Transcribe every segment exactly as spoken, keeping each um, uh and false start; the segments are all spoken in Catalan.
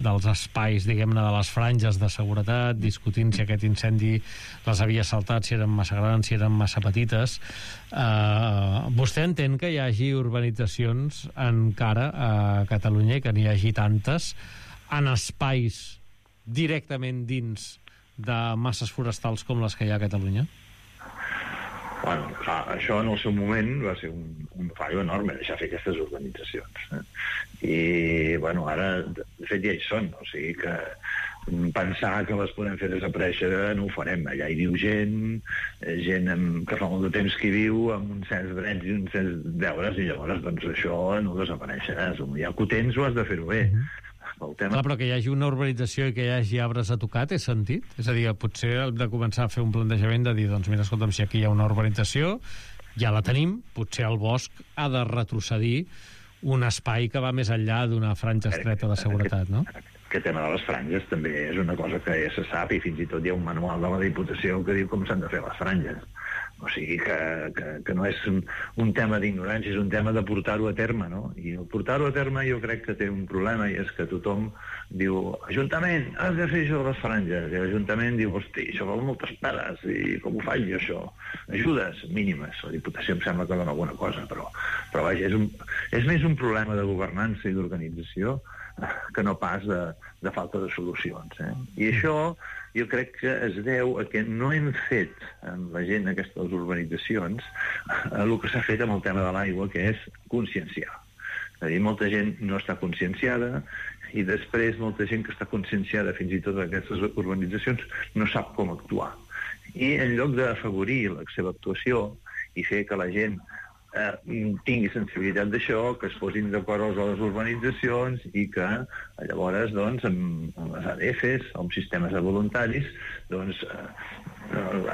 dels espais, diguem-ne, de les franges de seguretat, discutint si aquest incendi les havia saltat, si eren massa grans, si eren massa petites. Uh, vostè entén que hi hagi urbanitzacions encara a Catalunya i que n'hi hagi tantes en espais directament dins de masses forestals com les que hi ha a Catalunya? Bueno, clar, això en el seu moment va ser un, un fallo enorme, deixar fer aquestes urbanitzacions. Eh? I, bueno, ara, de fet, ja hi són. O sigui que pensar que les podem fer desaparèixer no ho farem. Allà hi viu gent, gent amb, que fa molt de temps que hi viu, amb uns certs drets i uns certs deures, i llavors, doncs, això no desapareixerà. Ja que ho tens, ho has de fer-ho bé. Mm-hmm. El tema... Clar, però que hi hagi una urbanització i que hi hagi arbres a tocar té sentit? És a dir, potser hem de començar a fer un plantejament de dir, doncs mira, escolta'm, si aquí hi ha una urbanització, ja la tenim, potser el bosc ha de retrocedir un espai que va més enllà d'una franja estreta de seguretat, no? Aquest tema de les franges també és una cosa que ja se sap, i fins i tot hi ha un manual de la Diputació que diu com s'han de fer les franges. O sigui que, que, que no és un, un tema d'ignorància, és un tema de portar-ho a terme, no? I el portar-ho a terme jo crec que té un problema, i és que tothom diu, Ajuntament, has de fer això de les franges, i l'Ajuntament diu, hosti, això val moltes peres, i com ho faig jo, això? Ajudes mínimes, la Diputació em sembla que dona alguna cosa, però, però vaja, és, un, és més un problema de governança i d'organització que no pas de, de falta de solucions, eh? I això jo crec que es deu a que no hem fet amb la gent aquestes urbanitzacions el que s'ha fet amb el tema de l'aigua, que és conscienciar. És a dir, molta gent no està conscienciada, i després molta gent que està conscienciada fins i tot d'aquestes urbanitzacions no sap com actuar. I en lloc d'afavorir la seva actuació i fer que la gent eh, tingui sensibilitat d'això, que es posin d'acord a les urbanitzacions i que llavors doncs amb, amb les A D Fs, amb sistemes de voluntaris, doncs eh,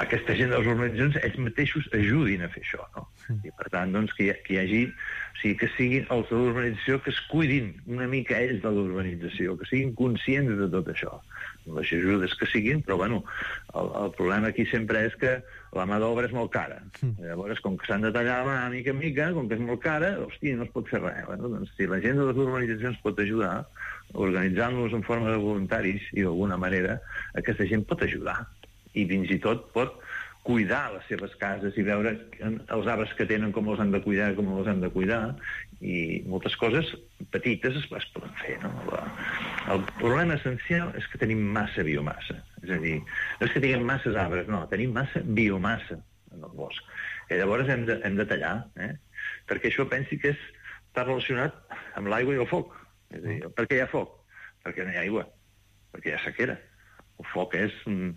aquesta gent de les urbanitzacions ells mateixos ajudin a fer això, no? I per tant doncs que hi, que hi hagi, o sigui, que siguin els de l'urbanització que es cuidin una mica ells de l'urbanització, que siguin conscients de tot això, les ajudes que siguin, però bueno, el, el problema aquí sempre és que la mà d'obra és molt cara. Llavors, com que s'han de tallar la mà mica en mica, com que és molt cara, hòstia, no es pot fer res. Bueno, doncs, si la gent de les urbanitzacions pot ajudar, organitzant-los en forma de voluntaris, i d'alguna manera aquesta gent pot ajudar, i fins i tot pot cuidar les seves cases i veure els arbres que tenen com els han de cuidar, com els han de cuidar, i moltes coses petites es, es poden fer, no? El problema essencial és que tenim massa biomassa, és a dir, no és que tinguem masses arbres, no, tenim massa biomassa en el bosc, i llavors hem de, hem de tallar, eh? Perquè això pensi que és, està relacionat amb l'aigua i el foc. És a dir, per què hi ha foc? Perquè no hi ha aigua, perquè hi ha sequera. El foc és un,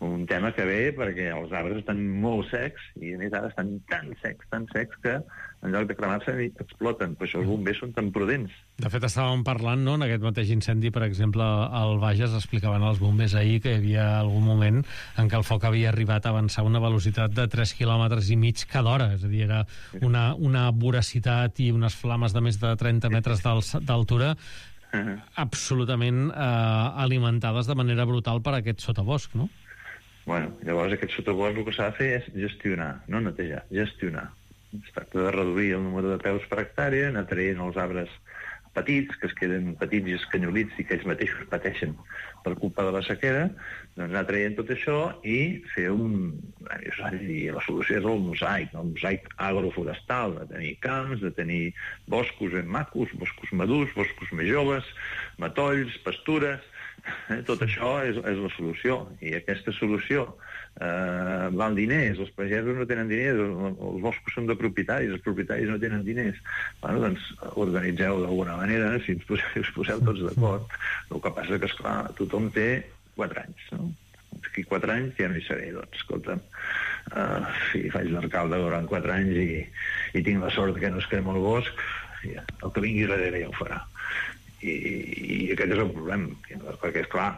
un tema que ve perquè els arbres estan molt secs, i a més ara estan tan secs, tan secs, que en lloc de cremar-se exploten. Per això els bombers són tan prudents. De fet, estàvem parlant, no?, en aquest mateix incendi, per exemple, al Bages explicaven els bombers ahir que hi havia algun moment en què el foc havia arribat a avançar a una velocitat de tres quilòmetres i mig cada hora. És a dir, era una, una voracitat i unes flames de més de trenta metres d'altura Uh-huh. absolutament eh, alimentades de manera brutal per aquest sotabosc, no? Bueno, llavors aquest sotabosc el que s'ha de fer és gestionar, no netejar, gestionar. Es tracta de reduir el número de peus per hectàrea, anar traient els arbres petits, que es queden petits i escanyolits i que ells mateixos pateixen per culpa de la sequera, doncs anar traient tot això i fer un... I la solució és el mosaic, el mosaic agroforestal, de tenir camps, de tenir boscos ben macos, boscos madurs, boscos més joves, matolls, pastures... Eh, tot això és, és la solució, i aquesta solució eh, val diners, els pagesos no tenen diners, els, els boscos són de propietaris, els propietaris no tenen diners. Bueno, doncs organitzeu d'alguna manera, si ens poseu, us poseu tots d'acord. El que passa que, esclar, tothom té quatre anys, no? Aquí quatre anys ja no hi seré, doncs, escolta'm, uh, si faig d'alcalde durant quatre anys i, i tinc la sort que no es crema el bosc, ja, el que vingui darrere ja ho farà. I, i aquest és el problema, perquè és clar,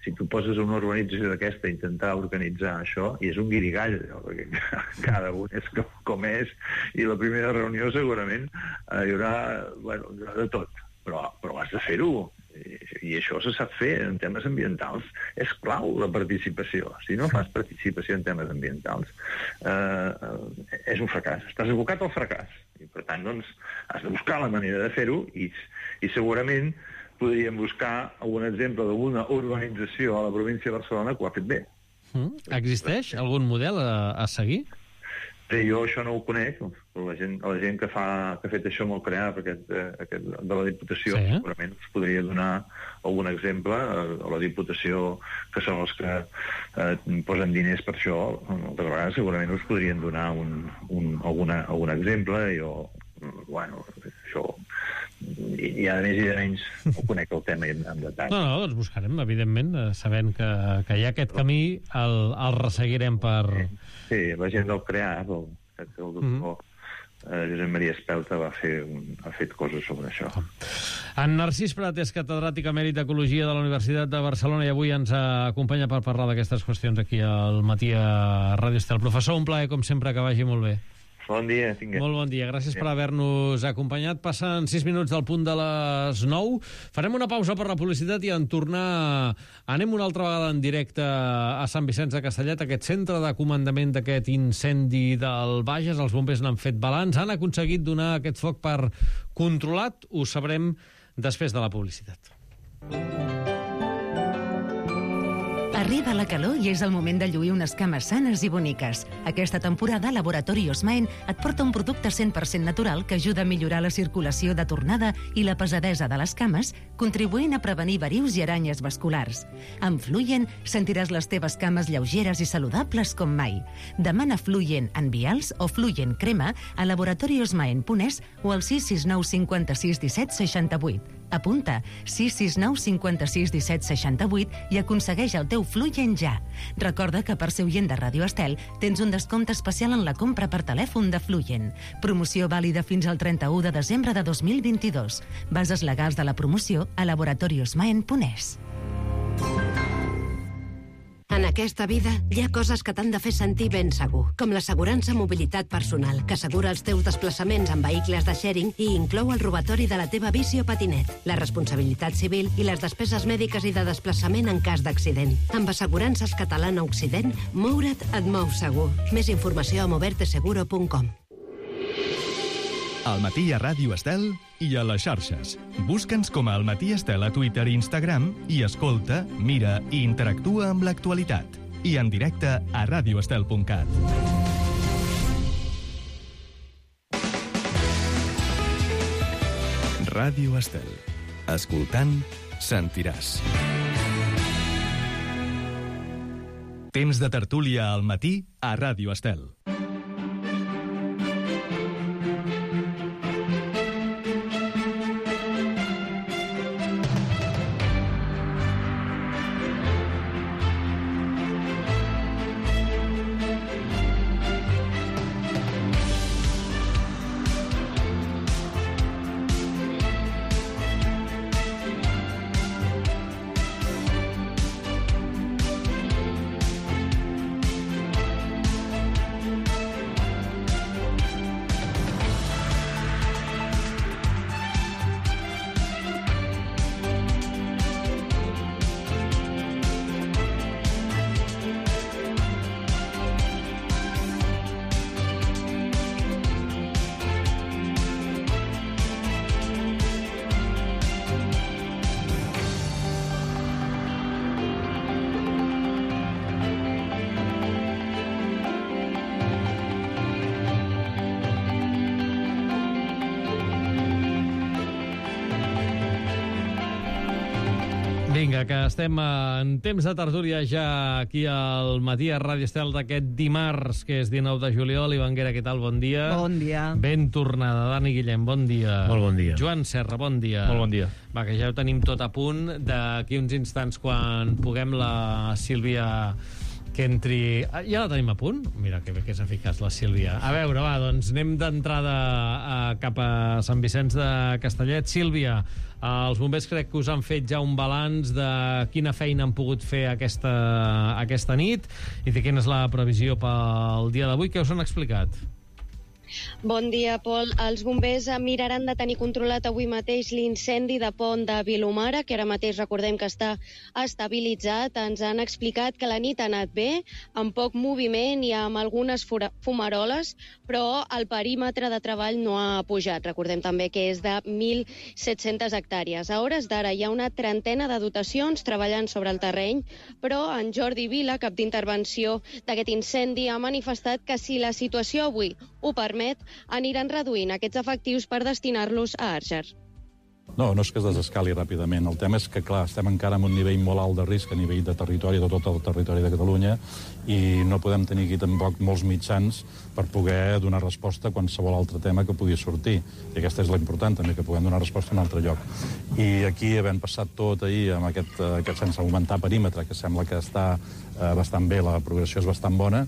si tu poses una urbanització d'aquesta a intentar organitzar això, i és un guirigall, perquè cada un és com, com és, i la primera reunió segurament eh, hi haurà, bueno, hi haurà de tot, però, però has de fer-ho, i, i això se sap fer en temes ambientals. És clau la participació. Si no fas participació en temes ambientals, eh, és un fracàs, estàs abocat al fracàs, i per tant doncs has de buscar la manera de fer-ho, i, i segurament podríem buscar algun exemple d'alguna urbanització a la província de Barcelona que ho ha fet bé. Mm. Existeix algun model a, a seguir? Bé, jo això no ho conec, però la gent, la gent que, fa, que ha fet això amb el CREAP aquest, aquest, de la Diputació, sí, eh? segurament us podria donar algun exemple a la Diputació, que són els que eh, posen diners per això. Moltes vegades segurament us podrien donar un, un, alguna, algun exemple. Jo, bueno, això... I, i a més i de menys ho conec el tema en detall. No, no, doncs buscarem, evidentment, sabent que, que hi ha aquest camí, el, el resseguirem per... Sí, la gent del CREAP, el, el doctor mm-hmm. eh, Josep Maria Espelta va fer un, ha fet coses sobre això. En Narcís Prat és catedràtic emèrit d'Ecologia de la Universitat de Barcelona i avui ens acompanya per parlar d'aquestes qüestions aquí al matí a Ràdio Estel. Professor, un plaer, com sempre, que vagi molt bé. Bon dia, tinguem. Molt bon dia, gràcies per haver-nos acompanyat. Passen sis minuts del punt de les nou. Farem una pausa per la publicitat i en tornar anem una altra vegada en directe a Sant Vicenç de Castellet, aquest centre de comandament d'aquest incendi del Bages. Els bombers n'han fet balanç, han aconseguit donar aquest foc per controlat. Ho sabrem després de la publicitat. Arriba la calor i és el moment de lluir unes cames sanes i boniques. Aquesta temporada, Laboratori Osmaen et porta un producte cent per cent natural que ajuda a millorar la circulació de tornada i la pesadesa de les cames, contribuint a prevenir verius i aranyes vasculars. Amb Fluyen sentiràs les teves cames lleugeres i saludables com mai. Demana Fluyen en vials o Fluyen crema a laboratoriosmaen punt es o al sis sis nou cinquanta-sis disset seixanta-vuit. Apunta sis sis nou cinquanta-sis disset seixanta-vuit i aconsegueix el teu Fluyen ja. Recorda que per ser oient de Ràdio Estel tens un descompte especial en la compra per telèfon de Fluyen. Promoció vàlida fins al trenta-u de desembre de dos mil vint-i-dos. Bases legals de la promoció a laboratoriosmaen punt es. En aquesta vida hi ha coses que t'han de fer sentir ben segur, com l'assegurança mobilitat personal, que assegura els teus desplaçaments en vehicles de sharing i inclou el robatori de la teva bici o patinet, la responsabilitat civil i les despeses mèdiques i de desplaçament en cas d'accident. Amb Assegurances Catalana Occident, moure't et mou segur. Més informació a moverte seguro punt com. Al matí a Ràdio Estel i a les xarxes. Busca'ns com a Al Matí Estel a Twitter i Instagram i escolta, mira i interactua amb l'actualitat. I en directe a radioestel punt cat. Ràdio Estel. Escoltant, sentiràs. Temps de tertúlia al matí a Ràdio Estel. Vinga, que estem en temps de tertúlia ja aquí al matí a Ràdio Estel d'aquest dimarts, que és dinou de juliol. Ivan Guerra, què tal? Bon dia. Bon dia. Ben tornada. Dani Guillem, bon dia. Molt bon dia. Joan Serra, bon dia. Molt bon dia. Va, que ja ho tenim tot a punt. D'aquí uns instants, quan puguem, la Sílvia que entri... Ah, ja la tenim a punt? Mira, que bé que és eficaç la Sílvia. A veure, va, doncs anem d'entrada a, cap a Sant Vicenç de Castellet. Sílvia, els bombers crec que us han fet ja un balanç de quina feina han pogut fer aquesta, aquesta nit i de quina és la previsió pel dia d'avui. Què us han explicat? Bon dia, Pol. Els bombers miraran de tenir controlat avui mateix l'incendi de Pont de Vilomara, que ara mateix recordem que està estabilitzat. Ens han explicat que la nit ha anat bé, amb poc moviment i amb algunes fumaroles, però el perímetre de treball no ha pujat. Recordem també que és de mil set-centes hectàrees. A hores d'ara hi ha una trentena de dotacions treballant sobre el terreny, però en Jordi Vila, cap d'intervenció d'aquest incendi, ha manifestat que si la situació avui ho permet, aniran reduint aquests efectius per destinar-los a Àrger. No, no és que es desescali ràpidament. El tema és que, clar, estem encara en un nivell molt alt de risc a nivell de territori, de tot el territori de Catalunya, i no podem tenir aquí tampoc molts mitjans per poder donar resposta a qualsevol altre tema que pugui sortir. I aquesta és la important, també, que puguem donar resposta en un altre lloc. I aquí, havent passat tot ahir, amb aquest, aquest sense augmentar perímetre, que sembla que està eh, bastant bé, la progressió és bastant bona.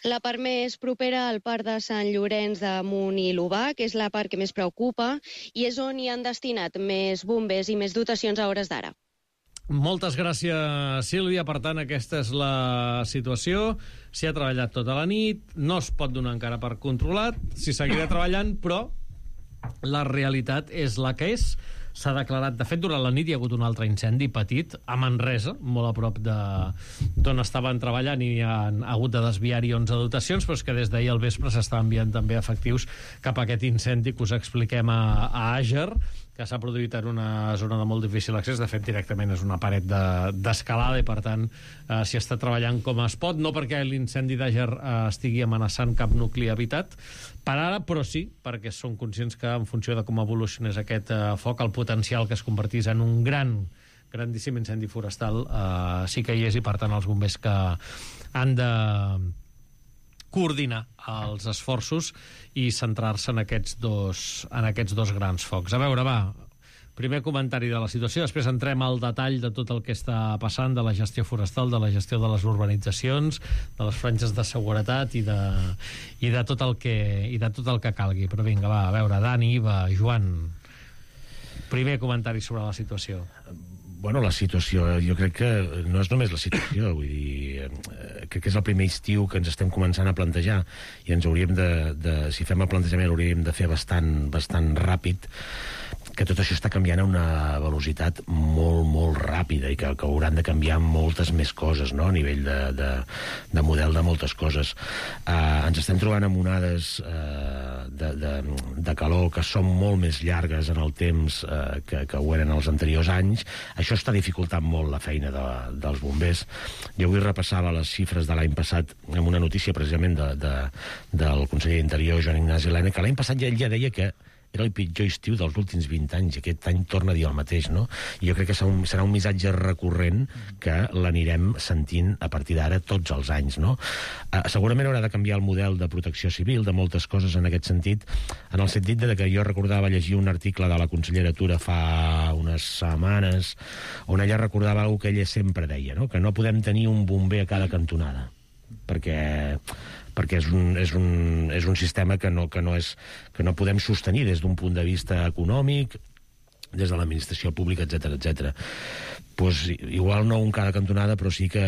La part més propera al parc de Sant Llorenç de Munt i l'Obac és la part que més preocupa i és on hi han destinat més bombers i més dotacions a hores d'ara. Moltes gràcies, Sílvia. Per tant, aquesta és la situació. S'hi ha treballat tota la nit, no es pot donar encara per controlat, s'hi seguirà treballant, però la realitat és la que és. S'ha declarat, de fet, durant la nit hi ha hagut un altre incendi petit a Manresa, molt a prop d'on estaven treballant, i hi ha hagut de desviar-hi onze dotacions, però és que des d'ahir al vespre s'està enviant també efectius cap a aquest incendi que us expliquem a, a Àger, que s'ha produït en una zona de molt difícil accés. De fet, directament és una paret d'escalada de, i, per tant, eh, s'hi està treballant com es pot, no perquè l'incendi d'Àger eh, estigui amenaçant cap nucli habitat per ara, però sí perquè són conscients que, en funció de com evolucionés aquest eh, foc, el potencial que es convertís en un gran, grandíssim incendi forestal eh, sí que hi és, i, per tant, els bombers que han de coordinar els esforços i centrar-se en aquests dos, en aquests dos grans focs. A veure, va, primer comentari de la situació, després entrem al detall de tot el que està passant, de la gestió forestal, de la gestió de les urbanitzacions, de les franges de seguretat i de, i de, tot, el que, i de tot el que calgui. Però vinga, va, a veure, Dani, Iva, Joan, primer comentari sobre la situació. Bueno, la situació, jo crec que no és només la situació, vull dir, eh, crec que és el primer estiu que ens estem començant a plantejar i ens hauríem de, de si fem el plantejament, hauríem de fer bastant, bastant ràpid, que tot això està canviant a una velocitat molt, molt ràpida i que, que hauran de canviar moltes més coses, no?, a nivell de, de, de model de moltes coses. Uh, ens estem trobant amb onades uh, de, de, de calor que són molt més llargues en el temps uh, que, que ho eren els anteriors anys. Això està dificultant molt la feina de, dels bombers. Jo avui repassava les xifres de l'any passat amb una notícia precisament de, de, del conseller d'Interior, Joan Ignasi Elena, que l'any passat ja ell ja deia que era el pitjor estiu dels últims vint anys, i aquest any torna a dir el mateix, no? I jo crec que serà un, serà un missatge recurrent que l'anirem sentint a partir d'ara tots els anys, no? Uh, segurament haurà de canviar el model de protecció civil, de moltes coses en aquest sentit, en el sentit de que jo recordava llegir un article de la consellera Tura fa unes setmanes, on ella recordava alguna que ella sempre deia, no?, que no podem tenir un bomber a cada cantonada, perquè... perquè és un, és un, és un sistema que no, que, no és, que no podem sostenir des d'un punt de vista econòmic, des de l'administració pública, etcètera, etcètera. Pues, igual no un cada cantonada, però sí que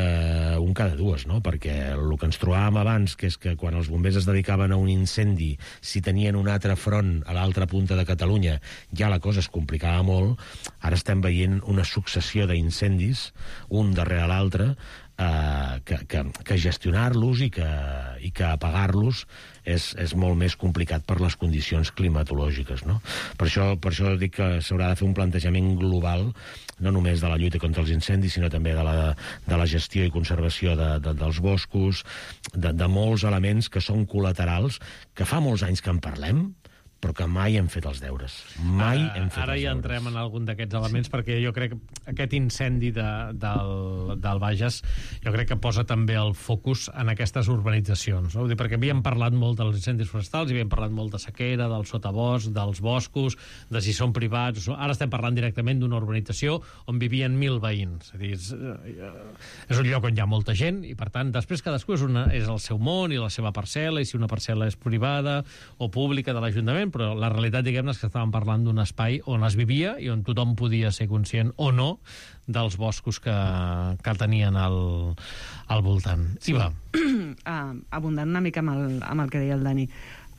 un cada dues, no? Perquè el que ens trobàvem abans, que és que quan els bombers es dedicaven a un incendi, si tenien un altre front a l'altra punta de Catalunya, ja la cosa es complicava molt. Ara estem veient una successió d'incendis, un darrere l'altre, Uh, que, que, que gestionar-los i que, i que apagar-los és, és molt més complicat per les condicions climatològiques, no? Per això, per això dic que s'haurà de fer un plantejament global, no només de la lluita contra els incendis, sinó també de la, de la gestió i conservació de, de, dels boscos, de, de molts elements que són col·laterals, que fa molts anys que en parlem, però que mai hem fet els deures. Mai ara, hem fet ara els ja deures. entrem en algun d'aquests elements, sí. Perquè jo crec que aquest incendi de, del, del Bages jo crec que posa també el focus en aquestes urbanitzacions, no? Vull dir, perquè havíem parlat molt dels incendis forestals, havíem parlat molt de sequera, del sotabosc, dels boscos, de si són privats. Ara estem parlant directament d'una urbanització on vivien mil veïns. És a dir, és, és un lloc on hi ha molta gent i, per tant, després cadascú és, una, és el seu món i la seva parcel·la, i si una parcel·la és privada o pública de l'Ajuntament, però la realitat, diguem-ne, és que estàvem parlant d'un espai on es vivia i on tothom podia ser conscient o no dels boscos que, que tenien al, al voltant. Sí, va. Uh, abundant una mica amb el, amb el que deia el Dani.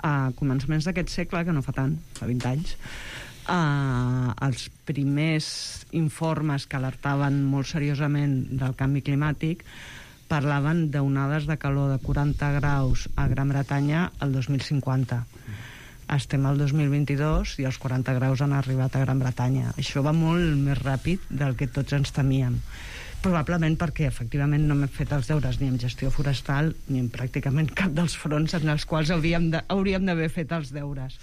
a començaments d'aquest segle, que no fa tant, fa vint anys, Uh, els primers informes que alertaven molt seriosament del canvi climàtic parlaven d'onades de calor de quaranta graus a Gran Bretanya el dos mil cinquanta. Estem al dos mil vint-i-dos i els quaranta graus han arribat a Gran Bretanya. Això va molt més ràpid del que tots ens temíem. Probablement perquè, efectivament, no m'he fet els deures ni en gestió forestal ni en pràcticament cap dels fronts en els quals hauríem de, hauríem d'haver fet els deures.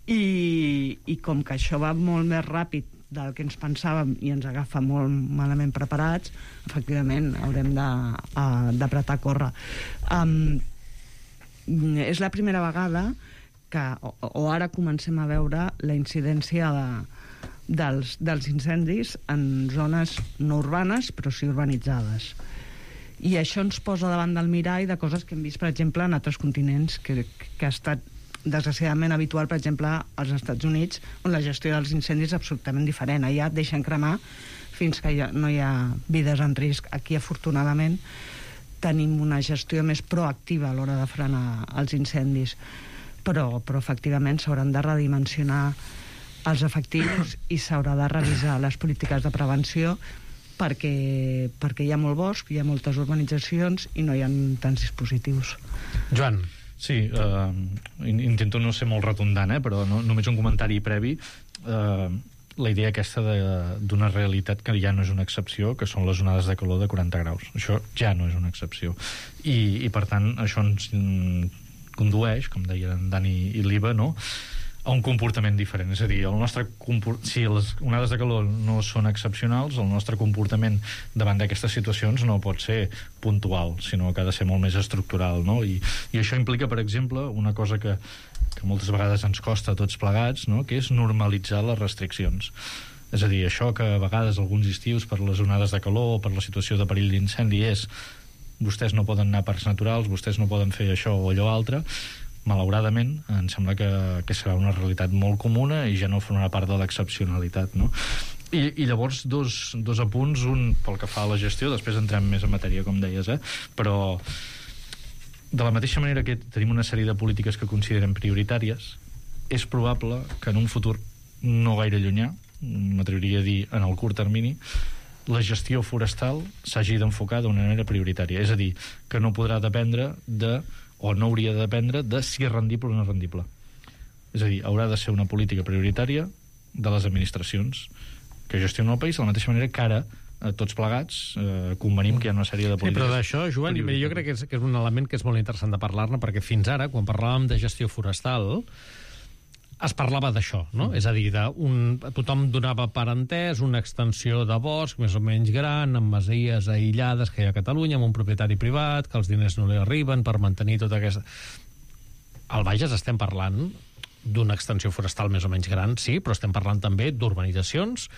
I, i com que això va molt més ràpid del que ens pensàvem i ens agafa molt malament preparats, efectivament haurem d'apretar a córrer. Um, és la primera vegada que, o, o ara comencem a veure la incidència de, dels, dels incendis en zones no urbanes, però sí urbanitzades. I això ens posa davant del mirall de coses que hem vist, per exemple, en altres continents, que, que ha estat desgraciadament habitual, per exemple, als Estats Units, on la gestió dels incendis és absolutament diferent. Allà et deixen cremar fins que ja no hi ha vides en risc. Aquí, afortunadament, tenim una gestió més proactiva a l'hora de frenar els incendis. Però, però efectivament, s'hauran de redimensionar els efectius i s'haurà de revisar les polítiques de prevenció perquè, perquè hi ha molt bosc, hi ha moltes urbanitzacions i no hi ha tants dispositius. Joan. Sí, eh, intento no ser molt redundant, eh, però no, només un comentari previ. Eh, la idea aquesta d'una realitat que ja no és una excepció, que són les onades de calor de quaranta graus. Això ja no és una excepció. I, i per tant, això ens condueix, com deien en Dani i l'Iva, no?, a un comportament diferent. És a dir, el nostre comport... si les onades de calor no són excepcionals, el nostre comportament davant d'aquestes situacions no pot ser puntual, sinó que ha de ser molt més estructural, no? I, i això implica, per exemple, una cosa que, que moltes vegades ens costa a tots plegats, no?, que és normalitzar les restriccions. És a dir, això que a vegades alguns estius per les onades de calor o per la situació de perill d'incendi és vostès no poden anar a parcs naturals, vostès no poden fer això o allò altre. Malauradament, em sembla que, que serà una realitat molt comuna i ja no formarà part de l'excepcionalitat, no? I, i llavors dos, dos apunts, un pel que fa a la gestió, després entrem més en matèria, com deies, eh? Però de la mateixa manera que tenim una sèrie de polítiques que considerem prioritàries, és probable que en un futur no gaire llunyà, m'atreviria a dir en el curt termini, la gestió forestal s'hagi d'enfocar d'una manera prioritària. És a dir, que no podrà dependre de o no hauria de dependre de si és rendible o no és rendible. És a dir, haurà de ser una política prioritària de les administracions que gestionen el país, de la mateixa manera que ara a tots plegats eh, convenim que hi ha una sèrie de polítiques. Sí, però d'això, Joan, jo crec que és, que és un element que és molt interessant de parlar-ne, perquè fins ara, quan parlàvem de gestió forestal, es parlava d'això, no? Mm. És a dir, de un, tothom donava per entès una extensió de bosc més o menys gran, amb masies aïllades que hi ha a Catalunya, amb un propietari privat, que els diners no li arriben per mantenir tota aquesta... Al Bages estem parlant d'una extensió forestal més o menys gran, sí, però estem parlant també d'urbanitzacions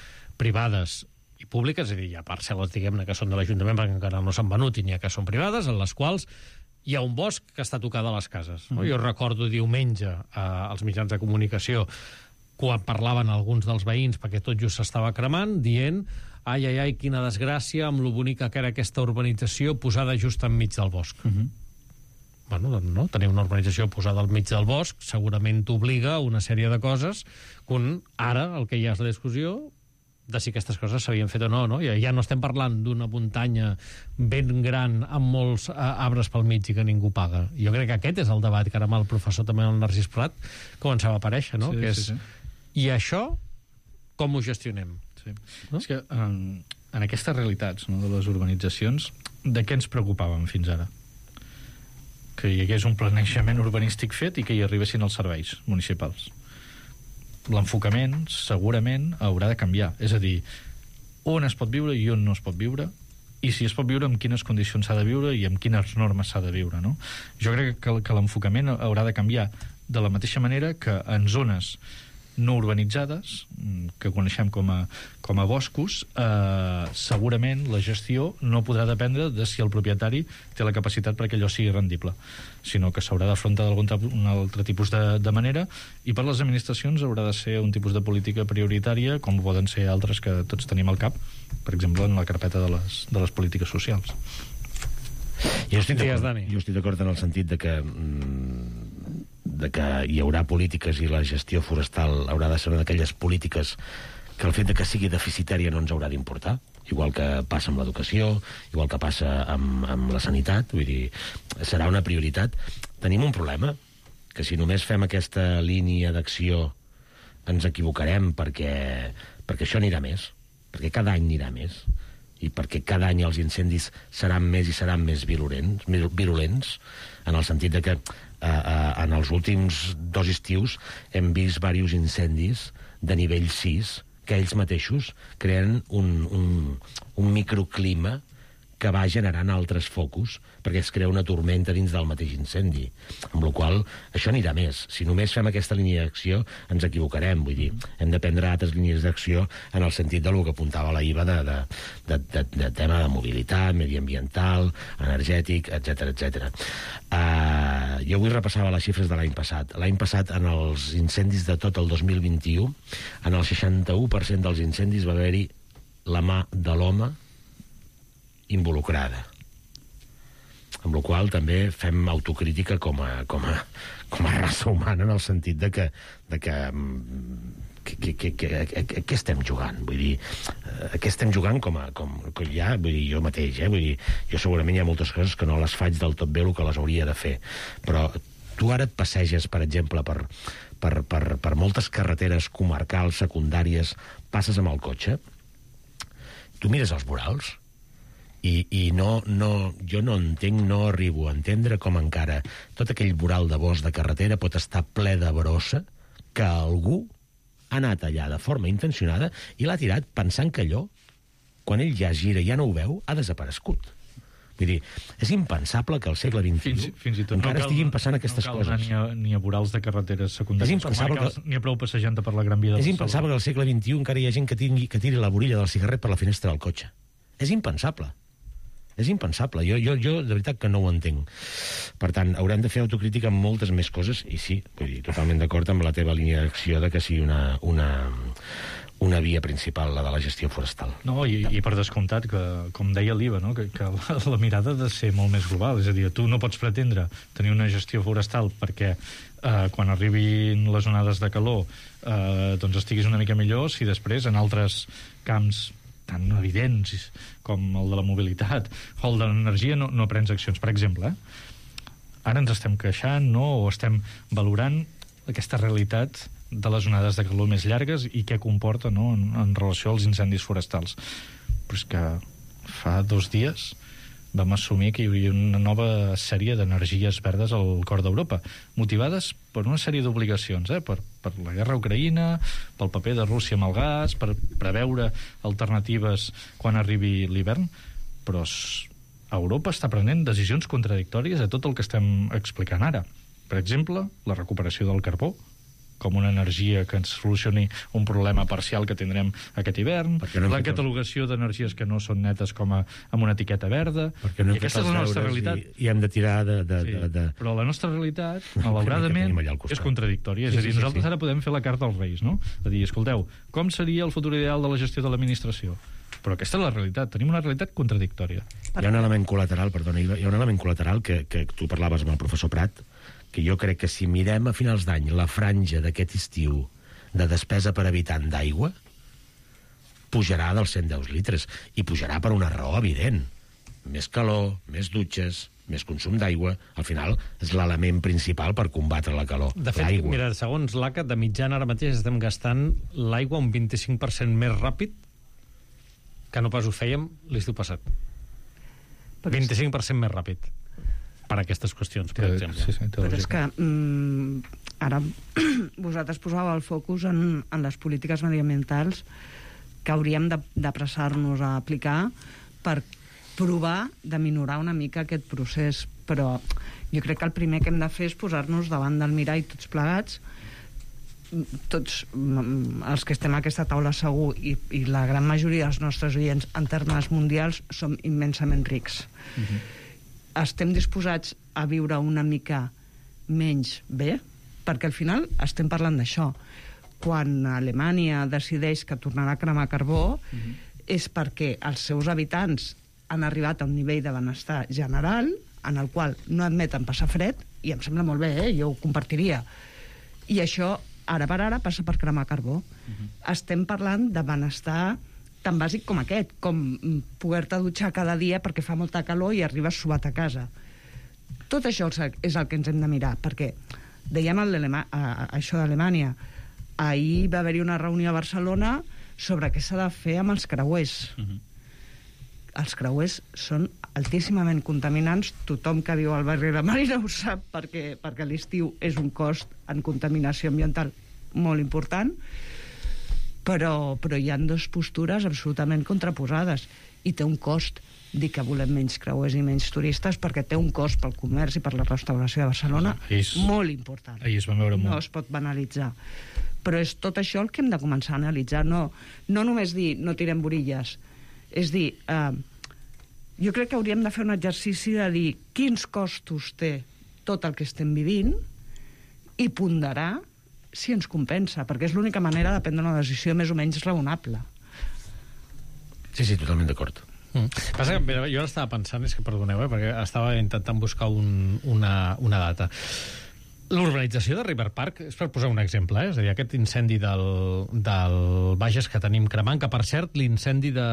privades i públiques, és a dir, hi ha parcel·les, diguem-ne, que són de l'Ajuntament perquè encara no s'han venut i n'hi ha que són privades, en les quals hi ha un bosc que està tocat a les cases. No? Mm. Jo recordo diumenge eh, als mitjans de comunicació quan parlaven alguns dels veïns perquè tot just s'estava cremant, dient ai, ai, ai, quina desgràcia amb lo bonica que era aquesta urbanització posada just enmig del bosc. Mm -hmm. Bueno, no? Tenir una urbanització posada al mig del bosc segurament t'obliga a una sèrie de coses quan ara el que hi ha és la discussió de si aquestes coses s'havien fet o no, no? Ja, ja no estem parlant d'una muntanya ben gran amb molts uh, arbres pel mig i que ningú paga. Jo crec que aquest és el debat que ara amb el professor també el Narcís Prat començava a aparèixer, no? Sí, que és, sí, sí. I això, com ho gestionem? Sí. No? És que en, en aquestes realitats, no, de les urbanitzacions, de què ens preocupàvem fins ara? Que hi hagués un planejament urbanístic fet i que hi arribessin els serveis municipals. L'enfocament segurament haurà de canviar, és a dir, on es pot viure i on no es pot viure, i si es pot viure, en quines condicions s'ha de viure i amb quines normes s'ha de viure, no? Jo crec que, que l'enfocament haurà de canviar de la mateixa manera que en zones no urbanitzades, que coneixem com a, com a boscos, eh, segurament la gestió no podrà dependre de si el propietari té la capacitat perquè allò sigui rendible, sinó que s'haurà d'afrontar d'algun altre tipus de, de manera, i per les administracions haurà de ser un tipus de política prioritària, com poden ser altres que tots tenim al cap, per exemple, en la carpeta de les, de les polítiques socials. Jo estic d'acord, jo estic d'acord en el sentit de que mm, de que hi haurà polítiques i la gestió forestal haurà de ser una d'aquelles polítiques que el fet de que sigui deficitària no ens haurà d'importar, igual que passa amb l'educació, igual que passa amb, amb la sanitat, vull dir, serà una prioritat. Tenim un problema, que si només fem aquesta línia d'acció ens equivocarem perquè, perquè això anirà més, perquè cada any anirà més, i perquè cada any els incendis seran més i seran més virulents, virulents en el sentit de que eh, eh, en els últims dos estius hem vist diversos incendis de nivell sis que ells mateixos creen un, un, un microclima que va generant altres focus perquè es crea una tormenta dins del mateix incendi. Amb la qual cosa, això anirà més. Si només fem aquesta línia d'acció, ens equivocarem. Vull dir, hem de prendre altres línies d'acció en el sentit del que apuntava la I V A de, de, de, de, de tema de mobilitat, mediambiental, energètic, etcètera, etcètera. Uh, jo avui repassava les xifres de l'any passat. L'any passat, en els incendis de tot el dos mil vint-i-u, en el seixanta-u per cent dels incendis va haver-hi la mà de l'home involucrada. Amb la qual també fem autocrítica com a, com a, com a raça humana en el sentit de que, de que, que, que, que, que, que, què estem jugant? Vull dir, a què estem jugant com a... Com, com ja, vull dir, jo mateix, eh? Vull dir, jo segurament hi ha moltes coses que no les faig del tot bé el que les hauria de fer, però tu ara et passeges, per exemple, per, per, per, per moltes carreteres comarcals, secundàries, passes amb el cotxe, tu mires els vorals, I, i no, no, jo no entenc, no arribo a entendre com encara tot aquell voral de bosc de carretera pot estar ple de brossa que algú ha anat allà de forma intencionada i l'ha tirat pensant que allò, quan ell ja gira i ja no ho veu, ha desaparegut. Vull dir, és impensable que al segle vint-i-u fins, fins i tot encara no cal, estiguin passant aquestes no cal coses. Ni a, ni a vorals de carreteres secundàries. És impensable que... Ni a prou passejant per la Gran Via del És impensable que al segle vint-i-u encara hi ha gent que, tingui, que tiri la borilla del cigarret per la finestra del cotxe. És impensable. És impensable. Jo, jo, jo de veritat que no ho entenc. Per tant, haurem de fer autocrítica amb moltes més coses, i sí, vull dir, totalment d'acord amb la teva línia d'acció de que sigui una, una, una via principal, la de la gestió forestal. No, i, i per descomptat, que, com deia l'I V A, no? que, que la, la mirada ha de ser molt més global. És a dir, tu no pots pretendre tenir una gestió forestal perquè eh, quan arribin les onades de calor eh, doncs estiguis una mica millor si després en altres camps tan evidents com el de la mobilitat o el de l'energia no, no prens accions. Per exemple, eh? ara ens estem queixant, no? o estem valorant aquesta realitat de les onades de calor més llargues i què comporta, no? en, en relació als incendis forestals. Però és que fa dos dies vam assumir que hi havia una nova sèrie d'energies verdes al cor d'Europa, motivades per una sèrie d'obligacions, eh? per, per la guerra a Ucraïna, pel paper de Rússia amb el gas, per preveure alternatives quan arribi l'hivern, però Europa està prenent decisions contradictòries a tot el que estem explicant ara. Per exemple, la recuperació del carbó, com una energia que ens solucioni un problema parcial que tindrem aquest hivern, no la catalogació els... d'energies que no són netes com a, amb una etiqueta verda, no i aquesta és la nostra realitat. I, i hem de tirar de... de, sí, de, de... Però la nostra realitat, malauradament, és contradictòria. És sí, a dir, sí, nosaltres sí, sí. ara podem fer la carta als Reis, no? És a dir, escolteu, com seria el futur ideal de la gestió de l'administració? Però aquesta és la realitat, tenim una realitat contradictòria. Hi ha un element col·lateral, perdona, hi ha un element col·lateral que, que tu parlaves amb el professor Prat, que jo crec que si mirem a finals d'any la franja d'aquest estiu de despesa per habitant d'aigua, pujarà dels cent deu litres, i pujarà per una raó evident. Més calor, més dutxes, més consum d'aigua, al final és l'element principal per combatre la calor. De fet, mira, segons l'A C A, de mitjana ara mateix estem gastant l'aigua un vint-i-cinc per cent més ràpid que no pas ho fèiem l'estiu passat. vint-i-cinc per cent més ràpid. Per aquestes qüestions, per exemple. Sí, sí, però és que mm, ara vosaltres posàveu el focus en, en les polítiques mediambientals que hauríem d'apressar-nos a aplicar per provar de minorar una mica aquest procés, però jo crec que el primer que hem de fer és posar-nos davant del mirall tots plegats, tots els que estem a aquesta taula segur, i, i la gran majoria dels nostres oients en termes mundials som immensament rics. Uh-huh. Estem disposats a viure una mica menys bé, perquè al final estem parlant d'això. Quan Alemanya decideix que tornarà a cremar carbó, uh-huh. és perquè els seus habitants han arribat a un nivell de benestar general en el qual no admeten passar fred i em sembla molt bé, eh? Jo ho compartiria. I això, ara per ara, passa per cremar carbó. Uh-huh. Estem parlant de benestar tan bàsic com aquest, com poder-te dutxar cada dia perquè fa molta calor i arribes suat a casa. Tot això és el que ens hem de mirar, perquè dèiem això d'Alemanya. Ahir va haver-hi una reunió a Barcelona sobre què s'ha de fer amb els creuers. Uh-huh. Els creuers són altíssimament contaminants. Tothom que viu al barri de Marina ho sap, perquè, perquè l'estiu és un cost en contaminació ambiental molt important, però, però hi ha dues postures absolutament contraposades, i té un cost dir que volem menys creuers i menys turistes, perquè té un cost pel comerç i per la restauració de Barcelona és, molt important. Ahir es va veure molt. No es pot banalitzar. Però és tot això el que hem de començar a analitzar. No, no només dir no tirem borilles. És dir, eh, jo crec que hauríem de fer un exercici de dir quins costos té tot el que estem vivint i ponderar si ens compensa, perquè és l'única manera de prendre una decisió més o menys raonable. Sí, sí, totalment d'acord. Mm. Passa que, mira, jo ara estava pensant, és que perdoneu, eh, perquè estava intentant buscar un, una, una data. L'urbanització de River Park, és per posar un exemple, eh? És a dir, aquest incendi del, del Bages que tenim cremant, que per cert, l'incendi de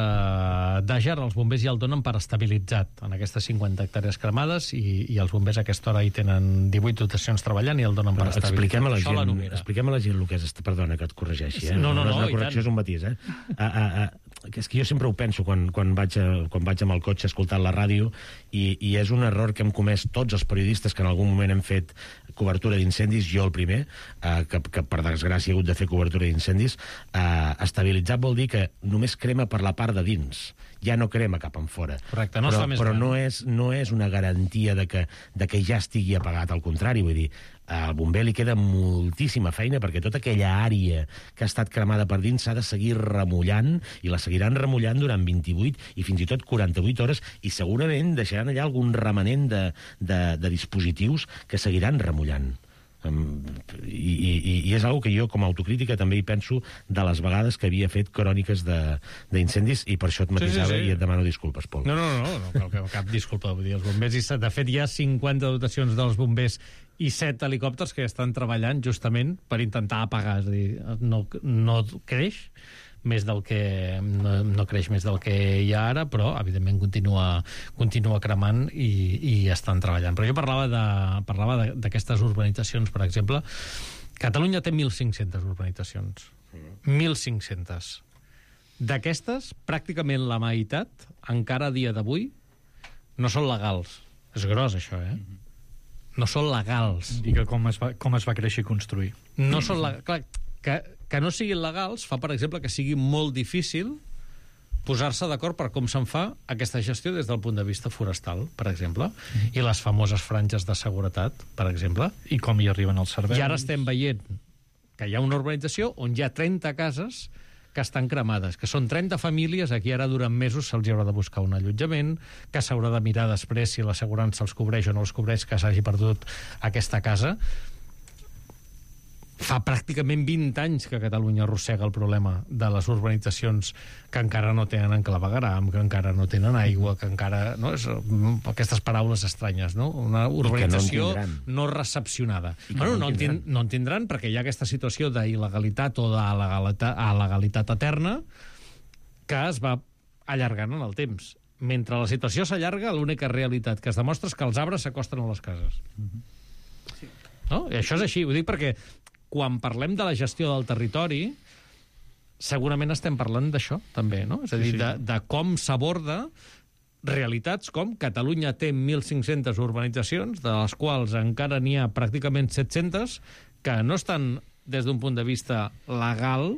d'Àger, els bombers ja el donen per estabilitzat en aquestes cinquanta hectàrees cremades, i, i els bombers a aquesta hora hi tenen divuit dotacions treballant i el donen per estabilitzat. Expliquem a la gent, expliquem a la gent el que és... Perdona que et corregeixi, eh? No, no, no, no és una no, correcció, és un matís, eh? A, a, a, que és que jo sempre ho penso quan, quan, vaig, a, quan vaig amb el cotxe escoltant la ràdio, i, i és un error que hem comès tots els periodistes que en algun moment hem fet cobertura d'incendis, jo el primer, eh, que, que per desgràcia he hagut de fer cobertura d'incendis. Eh, estabilitzat vol dir que només crema per la part de dins, ja no crema cap en fora. Correcte, no però, es fa més però gran. no és, no és una garantia de que, de que ja estigui apagat, al contrari, vull dir, al bomber li queda moltíssima feina perquè tota aquella àrea que ha estat cremada per dins s'ha de seguir remullant, i la seguiran remullant durant vint-i-vuit i fins i tot quaranta-vuit hores, i segurament deixaran allà algun remanent de, de, de dispositius que seguiran remullant. Um, i, i, i és una que jo com a autocrítica també hi penso de les vegades que havia fet cròniques d'incendis, i per això et matisava, sí, sí, sí. I et demano disculpes, Pol. No, no, no, no, no cap, cap disculpa. Vull dir, els bombers, de fet hi ha cinquanta dotacions dels bombers i set helicòpters que estan treballant justament per intentar apagar. És a dir, no, no creix més del que no, no creix més del que hi ha ara, però evidentment continua, continua cremant, i, i estan treballant. Però jo parlava de, parlava d'aquestes urbanitzacions, per exemple. Catalunya té mil cinc-centes urbanitzacions. mil cinc-centes. D'aquestes, pràcticament la meitat, encara a dia d'avui, no són legals. És gros, això, eh? No són legals. I que com es va, com es va créixer i construir. No són legals. Clar, que, que no siguin legals fa, per exemple, que sigui molt difícil posar-se d'acord per com se'n fa aquesta gestió des del punt de vista forestal, per exemple, mm. i les famoses franges de seguretat, per exemple. I com hi arriben els serveis. I ara estem veient que hi ha una urbanització on hi ha trenta cases que estan cremades, que són trenta famílies a qui ara durant mesos se'ls haurà de buscar un allotjament, que s'haurà de mirar després si l'assegurança els cobreix o no els cobreix, que s'hagi perdut aquesta casa. Fa pràcticament vint anys que Catalunya arrossega el problema de les urbanitzacions que encara no tenen enclavegaram, que encara no tenen aigua, que encara... No? És, aquestes paraules estranyes, no? Una urbanització no, no recepcionada. Bueno, no, en tindran. no en tindran perquè hi ha aquesta situació d'il·legalitat o d'alegalitat eterna que es va allargant en el temps. Mentre la situació s'allarga, l'única realitat que es demostra és que els arbres s'acosten a les cases. Sí. No? I això és així, ho dic perquè quan parlem de la gestió del territori, segurament estem parlant d'això, també, no? És a dir, de, de com s'aborda realitats com Catalunya té mil cinc-centes urbanitzacions, de les quals encara n'hi ha pràcticament set-centes, que no estan des d'un punt de vista legal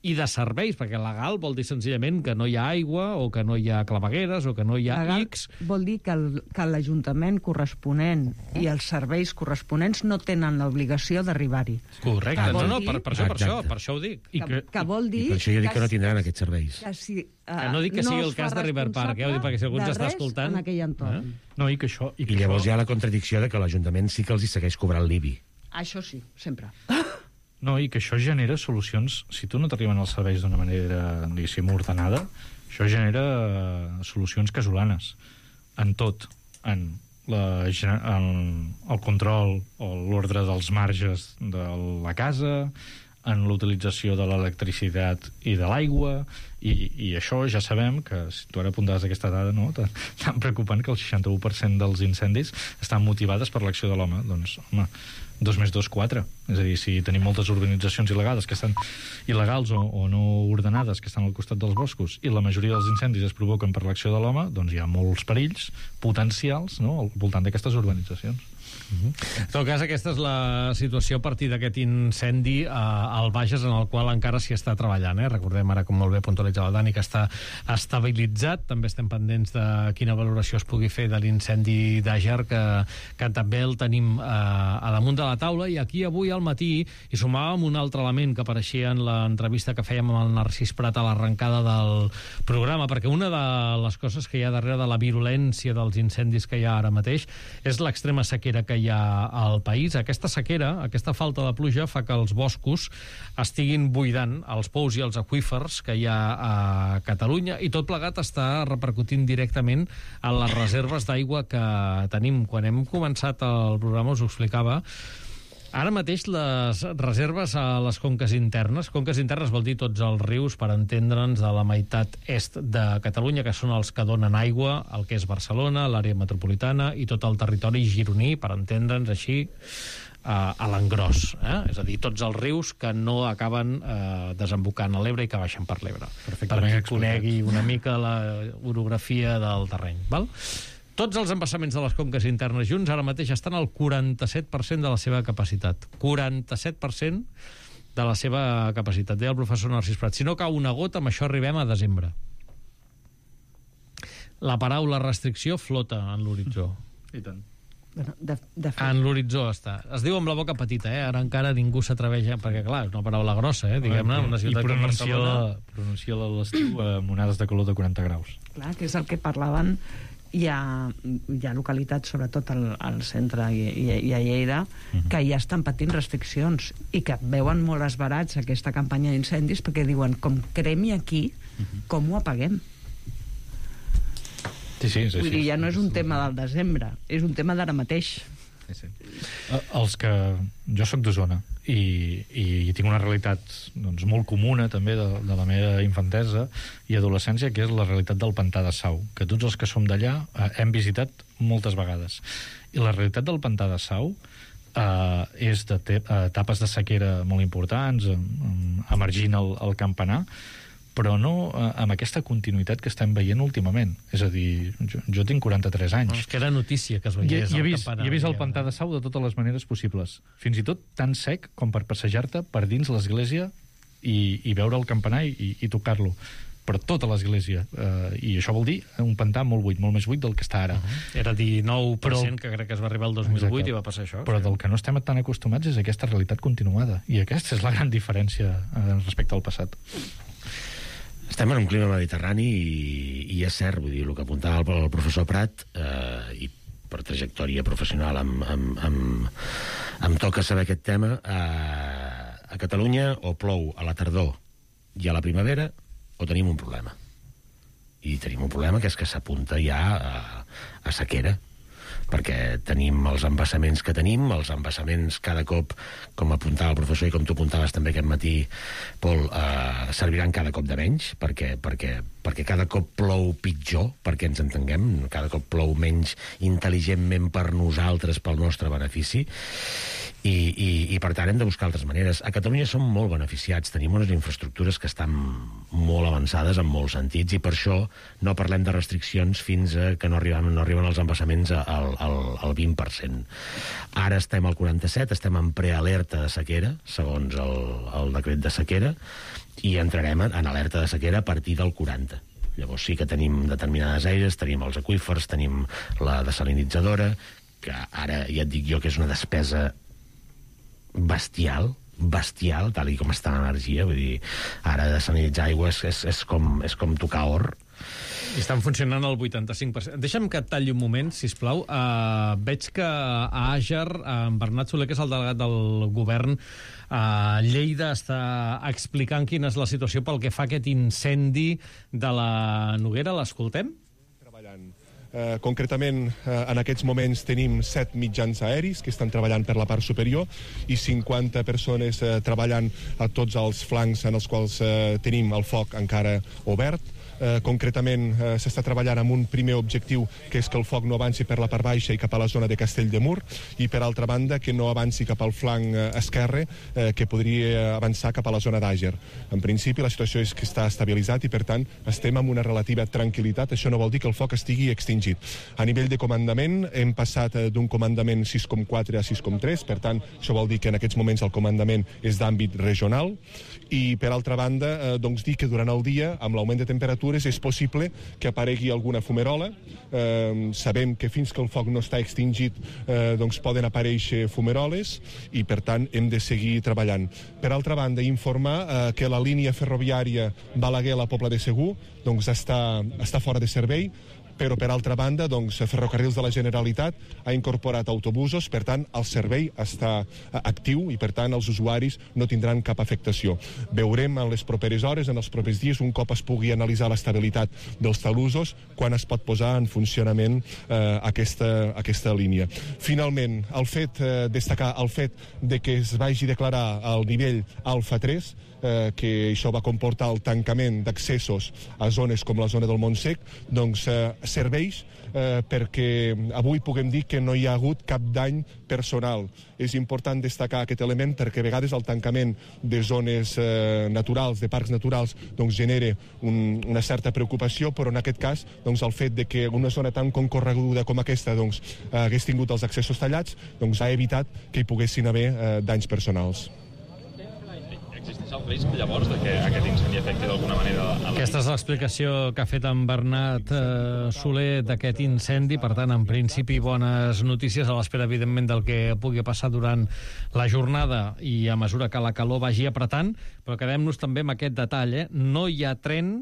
i de serveis, perquè legal vol dir senzillament que no hi ha aigua, o que no hi ha clavegueres, o que no hi ha legal X. Vol dir que l'Ajuntament corresponent i els serveis corresponents no tenen l'obligació d'arribar-hi. Correcte, no, no, per, per, això, per, això, per això ho dic. I que, que vol dir... I per això jo dic que, que no tindran aquests serveis. Que, si, uh, que no dic que no sigui el cas de River Park, eh? Perquè si algú ens està escoltant... en aquell entorn. Eh? No, i que això... I, que I llavors això... hi ha la contradicció de que l'Ajuntament sí que els hi segueix cobrant l'I B I. Això sí, sempre. No, i que això genera solucions... Si tu no t'arriben els serveis d'una manera, diguéssim, ordenada, això genera solucions casolanes. En tot. En la, el, el control o l'ordre dels marges de la casa, en l'utilització de l'electricitat i de l'aigua, i, i això ja sabem que, si tu ara apuntaves aquesta dada, no, tan, tan preocupant que el seixanta-u per cent dels incendis estan motivades per l'acció de l'home. Doncs, home, dos més dos, quatre. És a dir, si tenim moltes urbanitzacions il·legals que estan il·legals o, o no ordenades, que estan al costat dels boscos, i la majoria dels incendis es provoquen per l'acció de l'home, doncs hi ha molts perills potencials, no?, al voltant d'aquestes urbanitzacions. Uh-huh. En tot cas, aquesta és la situació a partir d'aquest incendi eh, al Bages, en el qual encara s'hi està treballant. Eh? Recordem ara, com molt bé puntualitzava el Dani, que està estabilitzat. També estem pendents de quina valoració es pugui fer de l'incendi d'Àger, que, que també el tenim eh, a damunt de la taula. I aquí avui al matí hi sumàvem un altre element que apareixia en l'entrevista que fèiem amb el Narcís Prat a l'arrencada del programa, perquè una de les coses que hi ha darrere de la virulència dels incendis que hi ha ara mateix és l'extrema sequera que hi ha al país. Aquesta sequera, aquesta falta de pluja, fa que els boscos estiguin buidant els pous i els aqüífers que hi ha a Catalunya, i tot plegat està repercutint directament en les reserves d'aigua que tenim. Quan hem començat el programa us ho explicava. Ara mateix les reserves a les conques internes, conques internes vol dir tots els rius, per entendre'ns, de la meitat est de Catalunya, que són els que donen aigua, el que és Barcelona, l'àrea metropolitana i tot el territori gironí, per entendre'ns així, a, a l'engròs. Eh? És a dir, tots els rius que no acaben eh, desembocant a l'Ebre i que baixen per l'Ebre. Per qui conegui una mica la orografia del terreny. Val? Tots els embassaments de les conques internes junts ara mateix estan al quaranta-set per cent de la seva capacitat. quaranta-set per cent de la seva capacitat. Deia el professor Narcís Prat, si no cau una gota, amb això arribem a desembre. La paraula restricció flota en l'horitzó. I tant. Bueno, de, de fet... En l'horitzó està. Es diu amb la boca petita, eh? Ara encara ningú s'atreveix, perquè clar, és una paraula grossa, eh? Diguem-ne, una ciutat com Barcelona. Pronuncia-la a l'estiu amb onades de calor de quaranta graus. Clar, que és el que parlaven. Hi ha, hi ha localitats, sobretot al, al centre i, i, i a Lleida, uh-huh, que ja estan patint restriccions i que veuen molt esbarats aquesta campanya d'incendis perquè diuen, com cremi aquí, uh-huh, com ho apaguem? Sí, sí, és Vull així. dir, ja no és un tema del desembre, és un tema d'ara mateix. Sí, sí. Els que... Jo sóc d'Osona i, i, i tinc una realitat doncs, molt comuna també de, de la meva infantesa i adolescència, que és la realitat del pantà de Sau, que tots els que som d'allà eh, hem visitat moltes vegades. I la realitat del pantà de Sau eh, és de te, eh, etapes de sequera molt importants, eh, emergint el, el campanar, però no eh, amb aquesta continuïtat que estem veient últimament. És a dir, jo, jo tinc quaranta-tres anys. No, és que era notícia que es I, veiés i he el vist, campanar. I he vist el pantà de Sau de totes les maneres possibles. Fins i tot tan sec com per passejar-te per dins l'església i, i veure el campanar i, i tocar-lo. Per tota l'església. Eh, I això vol dir un pantà molt buit, molt més buit del que està ara. Uh-huh. Era dinou per cent, però, que crec que es va arribar el dos mil vuit. Exacte. I va passar això. Però sí. Del que no estem tan acostumats és aquesta realitat continuada. I aquesta és la gran diferència eh, respecte al passat. Estem en un clima mediterrani i, i és cert, vull dir, el que apuntava el, el professor Prat, eh, i per trajectòria professional em, em, em, em toca saber aquest tema, eh, a Catalunya o plou a la tardor i a la primavera o tenim un problema. I tenim un problema que és que s'apunta ja a, a sequera, perquè tenim els embassaments que tenim, els embassaments cada cop, com apuntava el professor i com tu apuntaves també aquest matí, Pol, eh, serviran cada cop de menys, perquè, perquè, perquè cada cop plou pitjor, perquè ens entenguem, cada cop plou menys intel·ligentment per nosaltres, pel nostre benefici, i, i, i per tant hem de buscar altres maneres. A Catalunya som molt beneficiats, tenim unes infraestructures que estan molt avançades en molts sentits, i per això no parlem de restriccions fins a que no arriben, no arriben els embassaments al, al, al vint per cent. Ara estem al quaranta-set, estem en prealerta de sequera, segons el, el decret de sequera, i entrarem en alerta de sequera a partir del quaranta. Llavors sí que tenim determinades aires, tenim els aqüífers, tenim la desalinitzadora, que ara ja et dic jo que és una despesa bestial, bestial, tal i com està l'energia, vull dir, ara desalinitzar aigua és, és, és, com, és com tocar or. I estan funcionant al vuitanta-cinc per cent. Deixa'm que et talli un moment, sisplau. Uh, veig que a Àger, en Bernat Soler, que és el delegat del govern a Lleida, està explicant quina és la situació pel que fa a aquest incendi de la Noguera. L'escoltem? Treballant Eh, concretament, eh, en aquests moments tenim set mitjans aeris que estan treballant per la part superior i cinquanta persones eh, treballant a tots els flancs en els quals eh, tenim el foc encara obert. Eh, concretament, eh, s'està treballant amb un primer objectiu, que és que el foc no avanci per la part baixa i cap a la zona de Castell de Mur, i per altra banda que no avanci cap al flanc eh, esquerre, eh, que podria avançar cap a la zona d'Àger. En principi, la situació és que està estabilitzat i, per tant, estem amb una relativa tranquil·litat. Això no vol dir que el foc estigui extingit. A nivell de comandament, hem passat eh, d'un comandament sis coma quatre a sis coma tres, per tant, això vol dir que en aquests moments el comandament és d'àmbit regional, i, per altra banda, eh, doncs dir que durant el dia, amb l'augment de temperatures, és possible que aparegui alguna fumerola. Eh, sabem que fins que el foc no està extingit eh, doncs poden aparèixer fumeroles i, per tant, hem de seguir treballant. Per altra banda, informar eh, que la línia ferroviària Balaguer a la Pobla de Segur doncs està, està fora de servei, però, per altra banda, doncs, Ferrocarrils de la Generalitat ha incorporat autobusos, per tant, el servei està actiu i, per tant, els usuaris no tindran cap afectació. Veurem en les properes hores, en els propers dies, un cop es pugui analitzar l'estabilitat dels talussos, quan es pot posar en funcionament eh, aquesta, aquesta línia. Finalment, el fet, eh, destacar el fet de que es vagi declarar el nivell alfa tres, eh, que això va comportar el tancament d'accessos a zones com la zona del Montsec, doncs eh, serveix eh, perquè avui puguem dir que no hi ha hagut cap dany personal. És important destacar aquest element perquè a vegades el tancament de zones eh, naturals, de parcs naturals, doncs genera un, una certa preocupació, però en aquest cas doncs, el fet de que una zona tan concorreguda com aquesta doncs, hagués tingut els accessos tallats doncs, ha evitat que hi poguessin haver eh, danys personals. Existeix el risc, llavors, de que aquest incendi afecti d'alguna manera... Aquesta és l'explicació que ha fet en Bernat eh, Soler d'aquest incendi. Per tant, en principi, bones notícies a l'espera, evidentment, del que pugui passar durant la jornada i a mesura que la calor vagi apretant. Però quedem-nos també amb aquest detall, eh? No hi ha tren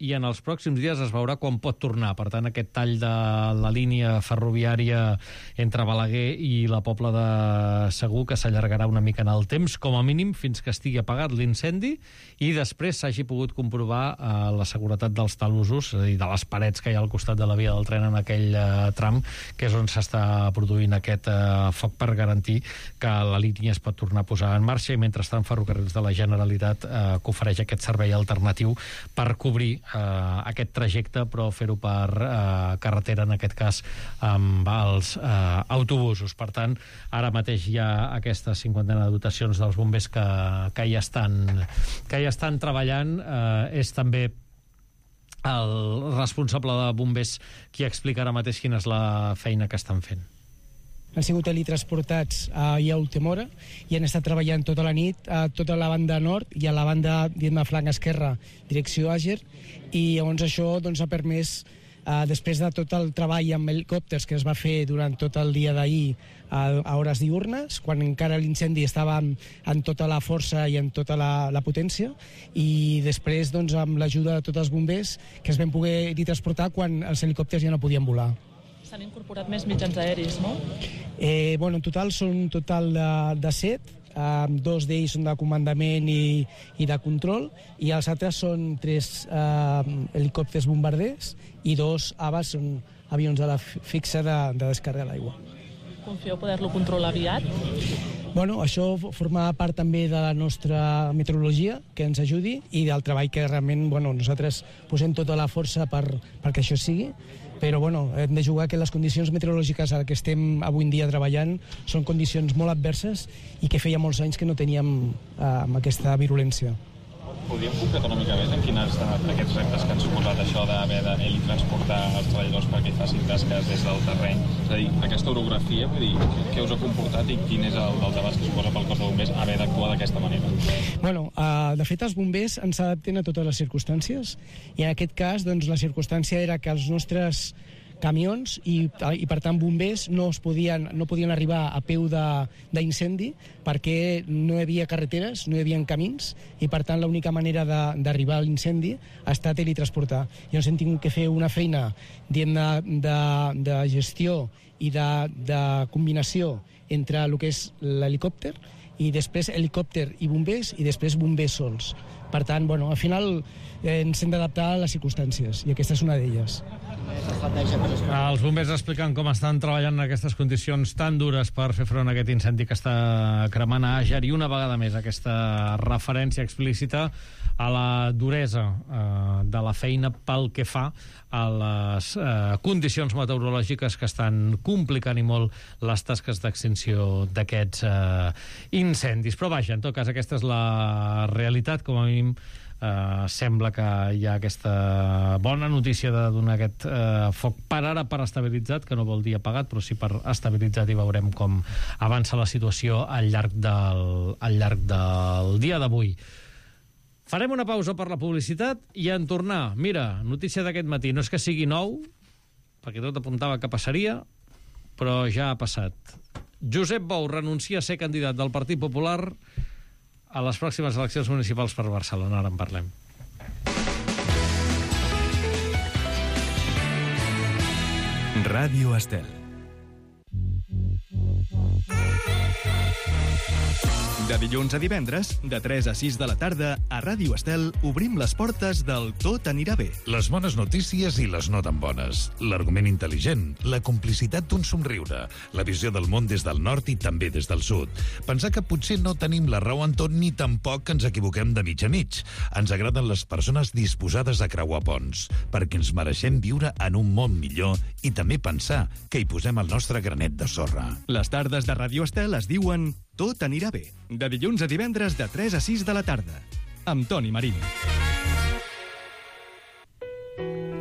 i en els pròxims dies es veurà quan pot tornar. Per tant, aquest tall de la línia ferroviària entre Balaguer i la Pobla de Segur que s'allargarà una mica en el temps, com a mínim fins que estigui apagat l'incendi i després s'hagi pogut comprovar eh, la seguretat dels talussos, és a dir, de les parets que hi ha al costat de la via del tren en aquell eh, tram, que és on s'està produint aquest eh, foc, per garantir que la línia es pot tornar a posar en marxa, i mentrestant Ferrocarrils de la Generalitat eh, que ofereix aquest servei alternatiu per cobrir eh, aquest trajecte, però fer-ho per eh, carretera, en aquest cas amb els eh, autobusos. Per tant, ara mateix hi ha aquesta cinquantena de dotacions dels bombers que, que, hi, estan, que hi estan treballant. Eh, és també el responsable de bombers qui explica ara mateix quina és la feina que estan fent. Han sigut teletransportats a, a última hora i han estat treballant tota la nit a tota la banda nord i a la banda, diguem, flanc esquerra, direcció Àger, i llavors això doncs, ha permès, eh, després de tot el treball amb helicòpters que es va fer durant tot el dia d'ahir a, a hores diurnes, quan encara l'incendi estava en, en tota la força i en tota la, la potència, i després doncs, amb l'ajuda de tots els bombers que es van poder transportar quan els helicòpters ja no podien volar. S'han incorporat més mitjans aeris, no? Eh, bueno, en total són un total de, de set, eh, dos d'ells són de comandament i, i de control, i els altres són tres eh, helicòpters bombarders i dos A V A S, són avions de la fixa de, de descàrrega d'aigua. Confieu poder-lo controlar aviat? Bueno, això forma part també de la nostra meteorologia, que ens ajudi, i del treball que realment bueno, nosaltres posem tota la força per, perquè això sigui, però bueno, hem de jugar que les condicions meteorològiques a les que estem avui en dia treballant són condicions molt adverses i que feia molts anys que no teníem eh, amb aquesta virulència. Podríem concretar una mica més en quins han estat aquests reptes que han suposat això d'haver de transportar els treballadors perquè facin tasques des del terreny? És a dir, aquesta orografia, vull dir, què us ha comportat i quin és el daltabaix que suposa pel cos de bombers haver d'actuar d'aquesta manera? Bueno, uh, de fet, els bombers ens adapten a totes les circumstàncies, i en aquest cas, doncs, la circumstància era que els nostres camions i, i per tant bombers no, es podien, no podien arribar a peu d'incendi perquè no hi havia carreteres, no hi havia camins, i per tant l'única manera d'arribar a l'incendi ha estat teletransportar. Llavors hem tingut que fer una feina de, de, de gestió i de, de combinació entre el que és l'helicòpter i després helicòpter i bombers i després bombers sols. Per tant, bueno, al final eh, ens hem d'adaptar a les circumstàncies i aquesta és una d'elles. Els bombers expliquen com estan treballant en aquestes condicions tan dures per fer front a aquest incendi que està cremant a Àger, i una vegada més aquesta referència explícita a la duresa eh, de la feina pel que fa a les eh, condicions meteorològiques que estan complicant i molt les tasques d'extinció d'aquests eh, incendis. Però vaja, en tot cas, aquesta és la realitat, com a mínim. Uh, sembla que hi ha aquesta bona notícia de donar aquest uh, foc per ara per estabilitzat, que no vol dir apagat, però sí per estabilitzat, i veurem com avança la situació al llarg del, al llarg del dia d'avui. Farem una pausa per la publicitat i en tornar, mira, notícia d'aquest matí, no és que sigui nou, perquè tot apuntava que passaria, però ja ha passat. Josep Bou renuncia a ser candidat del Partit Popular a les pròximes eleccions municipals per Barcelona. Ara en parlem. Ràdio Estel. De dilluns a divendres, de tres a sis de la tarda, a Ràdio Estel obrim les portes del Tot anirà bé. Les bones notícies i les no tan bones. L'argument intel·ligent, la complicitat d'un somriure, la visió del món des del nord i també des del sud. Pensar que potser no tenim la raó en tot ni tampoc que ens equivoquem de mig a mig. Ens agraden les persones disposades a creuar ponts, perquè ens mereixem viure en un món millor i també pensar que hi posem el nostre granet de sorra. Les tardes de Ràdio Estel es diuen Tot anirà bé. De dilluns a divendres de tres a sis de la tarda. Amb Toni Marín.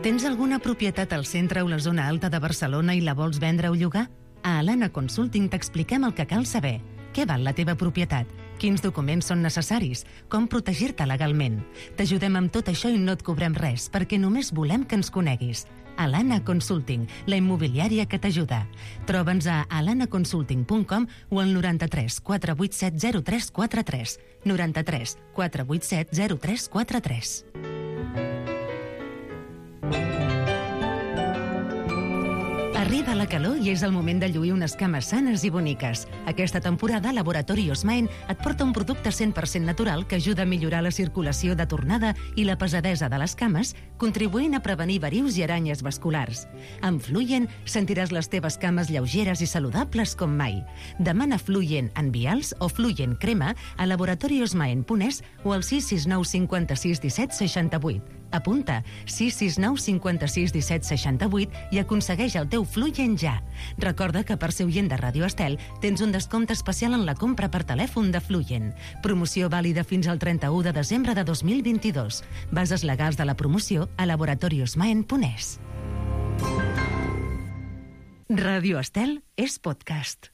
Tens alguna propietat al centre o la zona alta de Barcelona i la vols vendre o llogar? A Alana Consulting t'expliquem el que cal saber. Què val la teva propietat? Quins documents són necessaris? Com protegir-te legalment? T'ajudem amb tot això i no et cobrem res, perquè només volem que ens coneguis. Alana Consulting, la immobiliària que t'ajuda. Troba'ns a alana consulting punt com o al noranta-tres quatre vuit set zero tres quatre tres. noranta-tres quatre vuit set zero tres quatre tres. Arriba la calor i és el moment de lluir unes cames sanes i boniques. Aquesta temporada, Laboratori Osmaen et porta un producte cent per cent natural que ajuda a millorar la circulació de tornada i la pesadesa de les cames, contribuint a prevenir verius i aranyes vasculars. Amb Fluyen sentiràs les teves cames lleugeres i saludables com mai. Demana Fluyen en vials o Fluyen crema a laboratoriosmaen punt es o al sis sis nou cinquanta-sis disset seixanta-vuit. Apunta sis sis nou cinquanta-sis disset seixanta-vuit i aconsegueix el teu Fluyen ja. Recorda que per ser oient de Ràdio Estel tens un descompte especial en la compra per telèfon de Fluyen. Promoció vàlida fins al trenta-u de desembre de dos mil vint-i-dos. Bases legals de la promoció a laboratoriosmaen punt es. Ràdio Estel és podcast.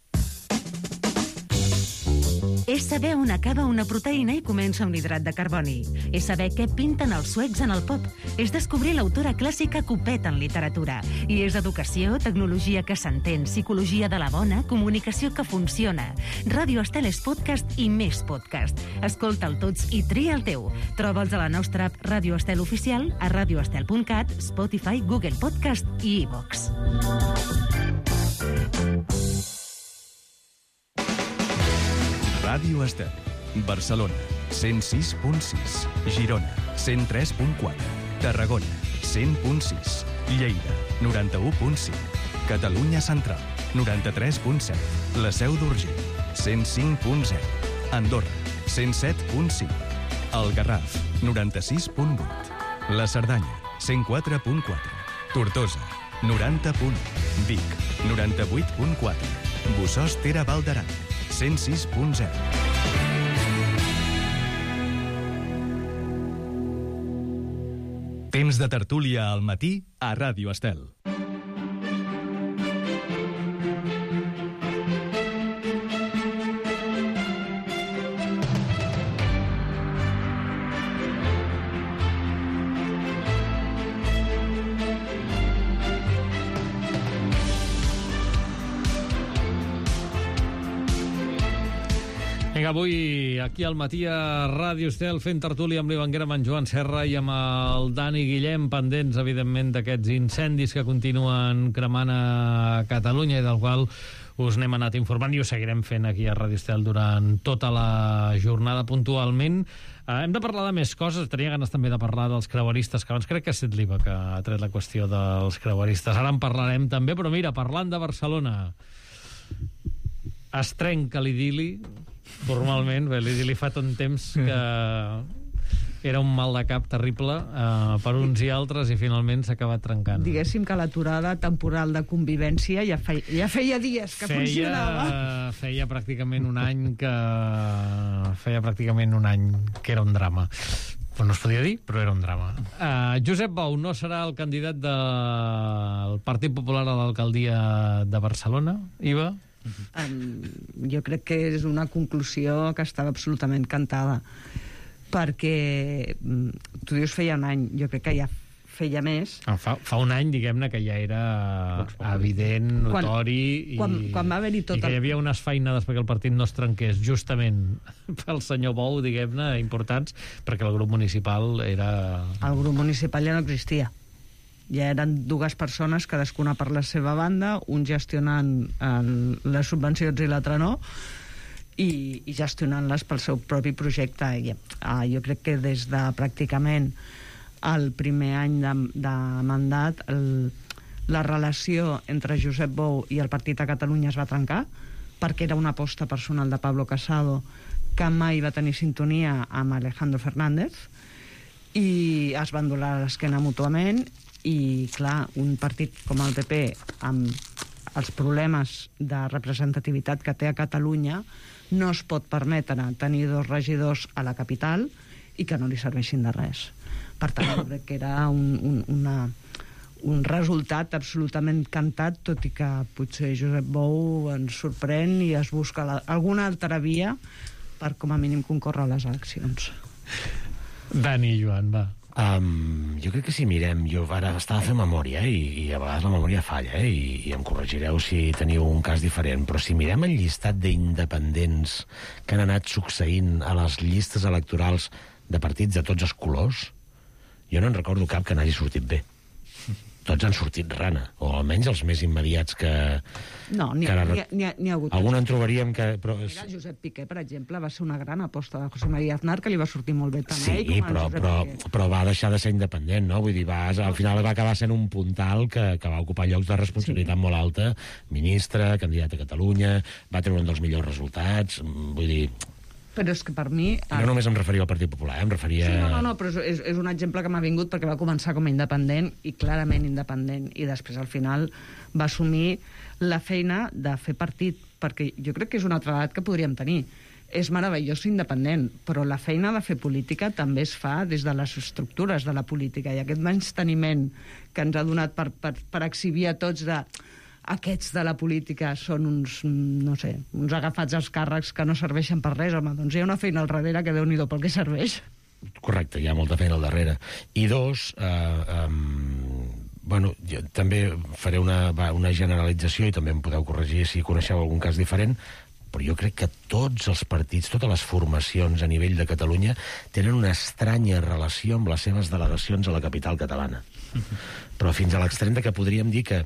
És saber on acaba una proteïna i comença un hidrat de carboni. És saber què pinten els suecs en el pop. És descobrir l'autora clàssica Copet en literatura. I és educació, tecnologia que s'entén, psicologia de la bona, comunicació que funciona. Ràdio Estel és podcast i més podcast. Escolta'l tots i tria el teu. Troba'ls a la nostra app Ràdio Estel Oficial, a radioestel punt cat, Spotify, Google Podcast i iVox. Ràdio Estel. Barcelona, cent sis punt sis. Girona, cent tres punt quatre. Tarragona, cent punt sis. Lleida, noranta-u punt cinc. Catalunya Central, noranta-tres punt set. La Seu d'Urgell, cent cinc punt zero. Andorra, cent set punt cinc. El Garraf, noranta-sis punt vuit. La Cerdanya, cent quatre punt quatre. Tortosa, noranta punt u. Vic, noranta-vuit punt quatre. Bossòst Tere Valdaran, cent sis punt zero. Temps de tertúlia al matí a Ràdio Estel. Vinga, avui aquí al matí a Ràdio Estel fent tertúlia amb l'Ivanguera, amb en Joan Serra i amb el Dani Guillem, pendents, evidentment, d'aquests incendis que continuen cremant a Catalunya i del qual us n'hem anat informant i ho seguirem fent aquí a Ràdio Estel durant tota la jornada puntualment. Uh, hem de parlar de més coses. Tenia ganes també de parlar dels creueristes, que abans crec que ha estat l'Iva que ha tret la qüestió dels creueristes. Ara en parlarem també, però mira, parlant de Barcelona, es trenca l'idili, formalment. Bé, l'idili fa tant temps que era un mal de cap terrible uh, per uns i altres i finalment s'ha acabat trencant. Diguéssim que l'aturada temporal de convivència ja feia, ja feia dies que feia, funcionava. Feia pràcticament un any que... Feia pràcticament un any que era un drama. Però no es podia dir, però era un drama. Uh, Josep Bou no serà el candidat del Partit Popular a l'alcaldia de Barcelona, Iva? Um, jo crec que és una conclusió que estava absolutament cantada, perquè tu dius feia un any, jo crec que ja feia més. Ah, fa, fa un any, diguem-ne, que ja era evident, notori, quan, quan, i, quan va haver-hi tot i que hi havia unes feinades perquè el partit no es trenqués, justament pel senyor Bou, diguem-ne, importants, perquè el grup municipal era... El grup municipal ja no existia. Ja eren dues persones, cadascuna per la seva banda, un gestionant el, les subvencions i l'altre no, i, i gestionant-les pel seu propi projecte. I, uh, jo crec que des de pràcticament el primer any de, de mandat el, la relació entre Josep Bou i el Partit a Catalunya es va trencar, perquè era una aposta personal de Pablo Casado que mai va tenir sintonia amb Alejandro Fernández, i es van donar l'esquena mútuament. I clar, un partit com el P P amb els problemes de representativitat que té a Catalunya no es pot permetre tenir dos regidors a la capital i que no li serveixin de res. Per tant, jo crec que era un, un, una, un resultat absolutament cantat, tot i que potser Josep Bou ens sorprèn i es busca la, alguna altra via per com a mínim concórrer a les eleccions. Dani i Joan, va. Um, jo crec que si mirem, jo ara estava fent memòria i, i a vegades la memòria falla, eh, i, i em corregireu si teniu un cas diferent, però si mirem el llistat d'independents que han anat succeint a les llistes electorals de partits de tots els colors, jo no en recordo cap que n'hagi sortit bé. Tots han sortit rana, o almenys els més immediats que... No, n'hi ha, ha, ha, ha hagut... Algun en trobaríem que... Però... Mira, Josep Piqué, per exemple, va ser una gran aposta de José María Aznar, que li va sortir molt bé també. Sí, com però, però, però va deixar de ser independent, no? Vull dir, va, al final va acabar sent un puntal que, que va ocupar llocs de responsabilitat sí. molt alta, ministre, candidat a Catalunya, va treure un dels millors resultats, vull dir... Però és que per mi... No només em referia al Partit Popular, em referia... Sí, no, no, no, però és, és un exemple que m'ha vingut perquè va començar com a independent i clarament independent, i després al final va assumir la feina de fer partit, perquè jo crec que és un altre edat que podríem tenir. És meravellós ser independent, però la feina de fer política també es fa des de les estructures de la política, i aquest menysteniment que ens ha donat per, per, per exhibir a tots de... aquests de la política són uns, no sé, uns agafats als càrrecs que no serveixen per res, home, doncs hi ha una feina al darrere que Déu-n'hi-do pel que serveix. Correcte, hi ha molta feina al darrere. I dos, eh, um, bueno, jo també faré una, una generalització i també em podeu corregir si coneixeu algun cas diferent, però jo crec que tots els partits, totes les formacions a nivell de Catalunya tenen una estranya relació amb les seves delegacions a la capital catalana. Però fins a l'extrem de que podríem dir que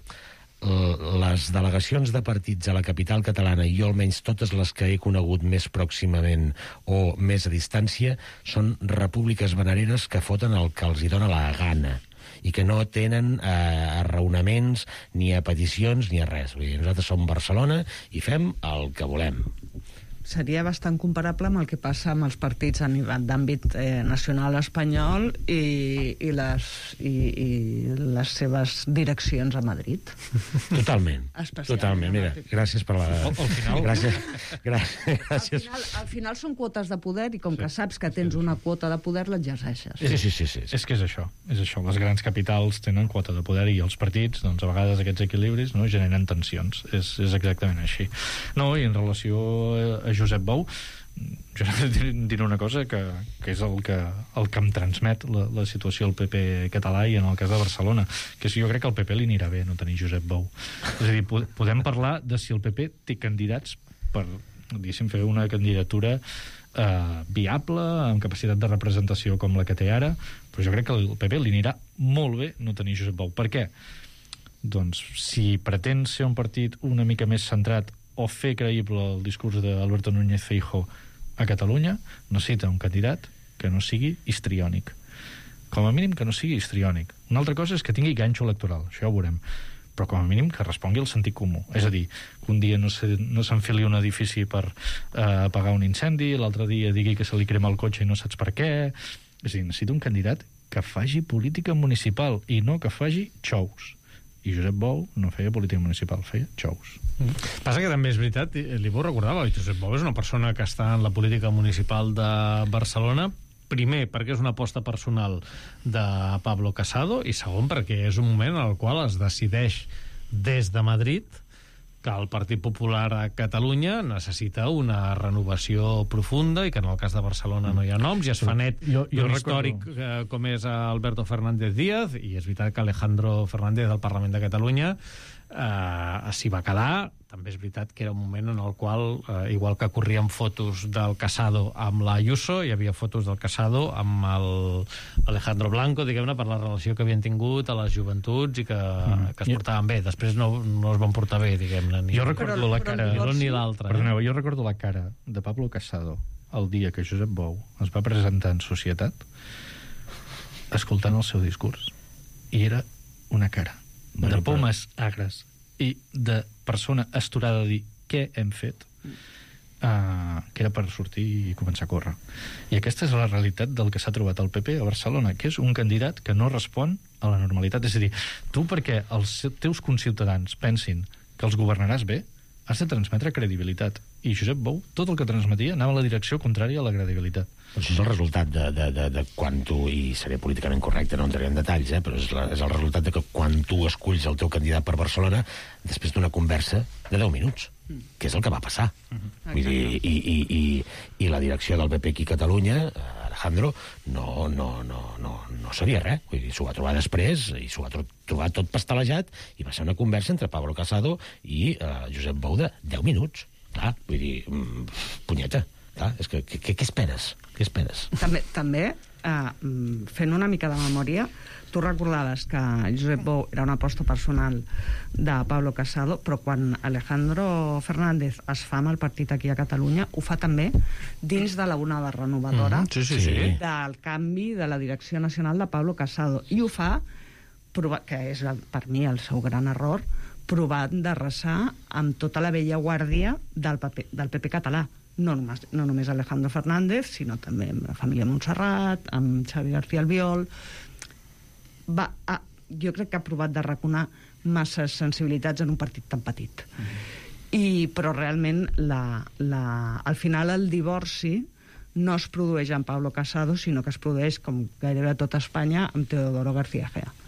les delegacions de partits a la capital catalana, i jo almenys totes les que he conegut més pròximament o més a distància, són repúbliques venereres que foten el que els hi dona la gana i que no tenen eh, arraonaments ni a peticions ni a res. Vull dir, nosaltres som Barcelona i fem el que volem. Seria bastant comparable amb el que passa amb els partits a nivell d'àmbit eh, nacional espanyol i, i, les, i, i les seves direccions a Madrid. Totalment. Totalment. Mira, gràcies per la... Al, al final... Gràcies. gràcies. gràcies. Al, final, al final són quotes de poder i com sí. que saps que tens una quota de poder l'exerceixes. Sí, sí, sí, sí, sí. És que és això. És això. Les grans capitals tenen quota de poder i els partits, doncs a vegades aquests equilibris no generen tensions. És, és exactament així. No, i en relació a Josep Bou, jo diré una cosa que, que és el que, el que em transmet la, la situació al P P català i en el cas de Barcelona, que és, jo crec que al P P li anirà bé no tenir Josep Bou. És a dir, podem parlar de si el P P té candidats per diguéssim, fer una candidatura eh, viable, amb capacitat de representació com la que té ara, però jo crec que al P P li anirà molt bé no tenir Josep Bou. Per què? Doncs si pretén ser un partit una mica més centrat o fer creïble el discurs d'Alberto Núñez Feijóo a Catalunya, necessita un candidat que no sigui histriònic. Com a mínim que no sigui histriònic. Una altra cosa és que tingui ganxo electoral, això ja ho veurem, però com a mínim que respongui al sentit comú. És a dir, que un dia no, se, no s'enfili un edifici per eh, apagar un incendi, l'altre dia digui que se li crema el cotxe i no saps per què. És a dir, necessita un candidat que faci política municipal i no que faci xous. I Josep Bou no feia política municipal, feia xous. Mm. Passa que també és veritat, li vau recordava, Josep Bou és una persona que està en la política municipal de Barcelona, primer perquè és una aposta personal de Pablo Casado i segon perquè és un moment en el qual es decideix des de Madrid que el Partit Popular a Catalunya necessita una renovació profunda i que en el cas de Barcelona no hi ha noms i es fa net jo, jo d'un històric eh, com és Alberto Fernández Díaz, i és veritat que Alejandro Fernández del Parlament de Catalunya eh, s'hi va quedar. També és veritat que era un moment en el qual, eh, igual que corrien fotos del Casado amb la Ayuso, hi havia fotos del Casado amb el Alejandro Blanco, diguem-ne, per la relació que havien tingut a les joventuts i que, mm. que es portaven bé. Després no, no es van portar bé, diguem-ne. Ni jo recordo però, la cara... Ni l'un ni l'altre. Perdoneu, jo recordo la cara de Pablo Casado el dia que Josep Bou es va presentar en societat escoltant el seu discurs. I era una cara de pomes agres i de persona esturada a dir què hem fet, uh, que era per sortir i començar a córrer. I aquesta és la realitat del que s'ha trobat el P P a Barcelona, que és un candidat que no respon a la normalitat. És a dir, tu perquè els teus conciutadans pensin que els governaràs bé, has de transmetre credibilitat. I Josep Bou, tot el que transmetia anava a la direcció contrària a la credibilitat. Això és el resultat de, de, de, de quan tu, i seré políticament correcte, no entraré en detalls, eh, però és, la, és el resultat de que quan tu esculls el teu candidat per Barcelona, després d'una conversa de deu minuts, que és el que va passar. Uh-huh. Vull dir, i, i, i, i la direcció del P P aquí a Catalunya, Alejandro, no, no, no, no, no sabia res. Vull dir, s'ho va trobar després, i s'ho va tro trobar tot pastelejat, i va ser una conversa entre Pablo Casado i uh, Josep Bou de deu minuts. Clar, vull dir, mm, punyeta. Clar, és que, que, què esperes? Què esperes? També, també eh, fent una mica de memòria, tu recordaves que Josep Bou era una aposta personal de Pablo Casado, però quan Alejandro Fernández es fa amb el partit aquí a Catalunya, ho fa també dins de la onada renovadora mm, sí, sí, sí. del canvi de la direcció nacional de Pablo Casado. I ho fa, que és per mi el seu gran error, provant d'arrasar amb tota la vella guàrdia del, paper, del P P català. No només, no només Alejandro Fernández, sinó també amb la família Montserrat, amb Xavi García Albiol. Va, a, jo crec que ha provat d'arraconar masses sensibilitats en un partit tan petit. Mm-hmm. I, però realment, la, la, al final, el divorci no es produeix amb Pablo Casado, sinó que es produeix, com gairebé a tot Espanya, amb Teodoro García Gea.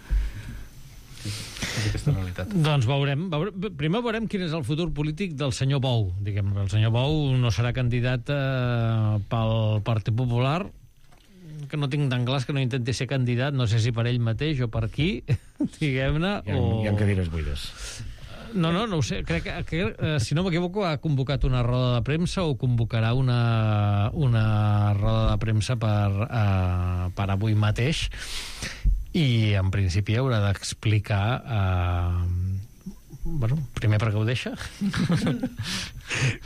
Aquesta realitat. Doncs veurem, veurem, primer veurem quin és el futur polític del senyor Bou. Diguem, el senyor Bou no serà candidat eh, pel Partit Popular, que no tinc tan clar que no intenti ser candidat, no sé si per ell mateix o per qui, diguem-ne, hi ha, o... hi ha cadires buides. No, no, no ho sé. Crec que, que eh, si no m'equivoco, ha convocat una roda de premsa o convocarà una, una roda de premsa per, eh, per avui mateix. I en principi haurà d'explicar eh, bueno, primer perquè ho deixa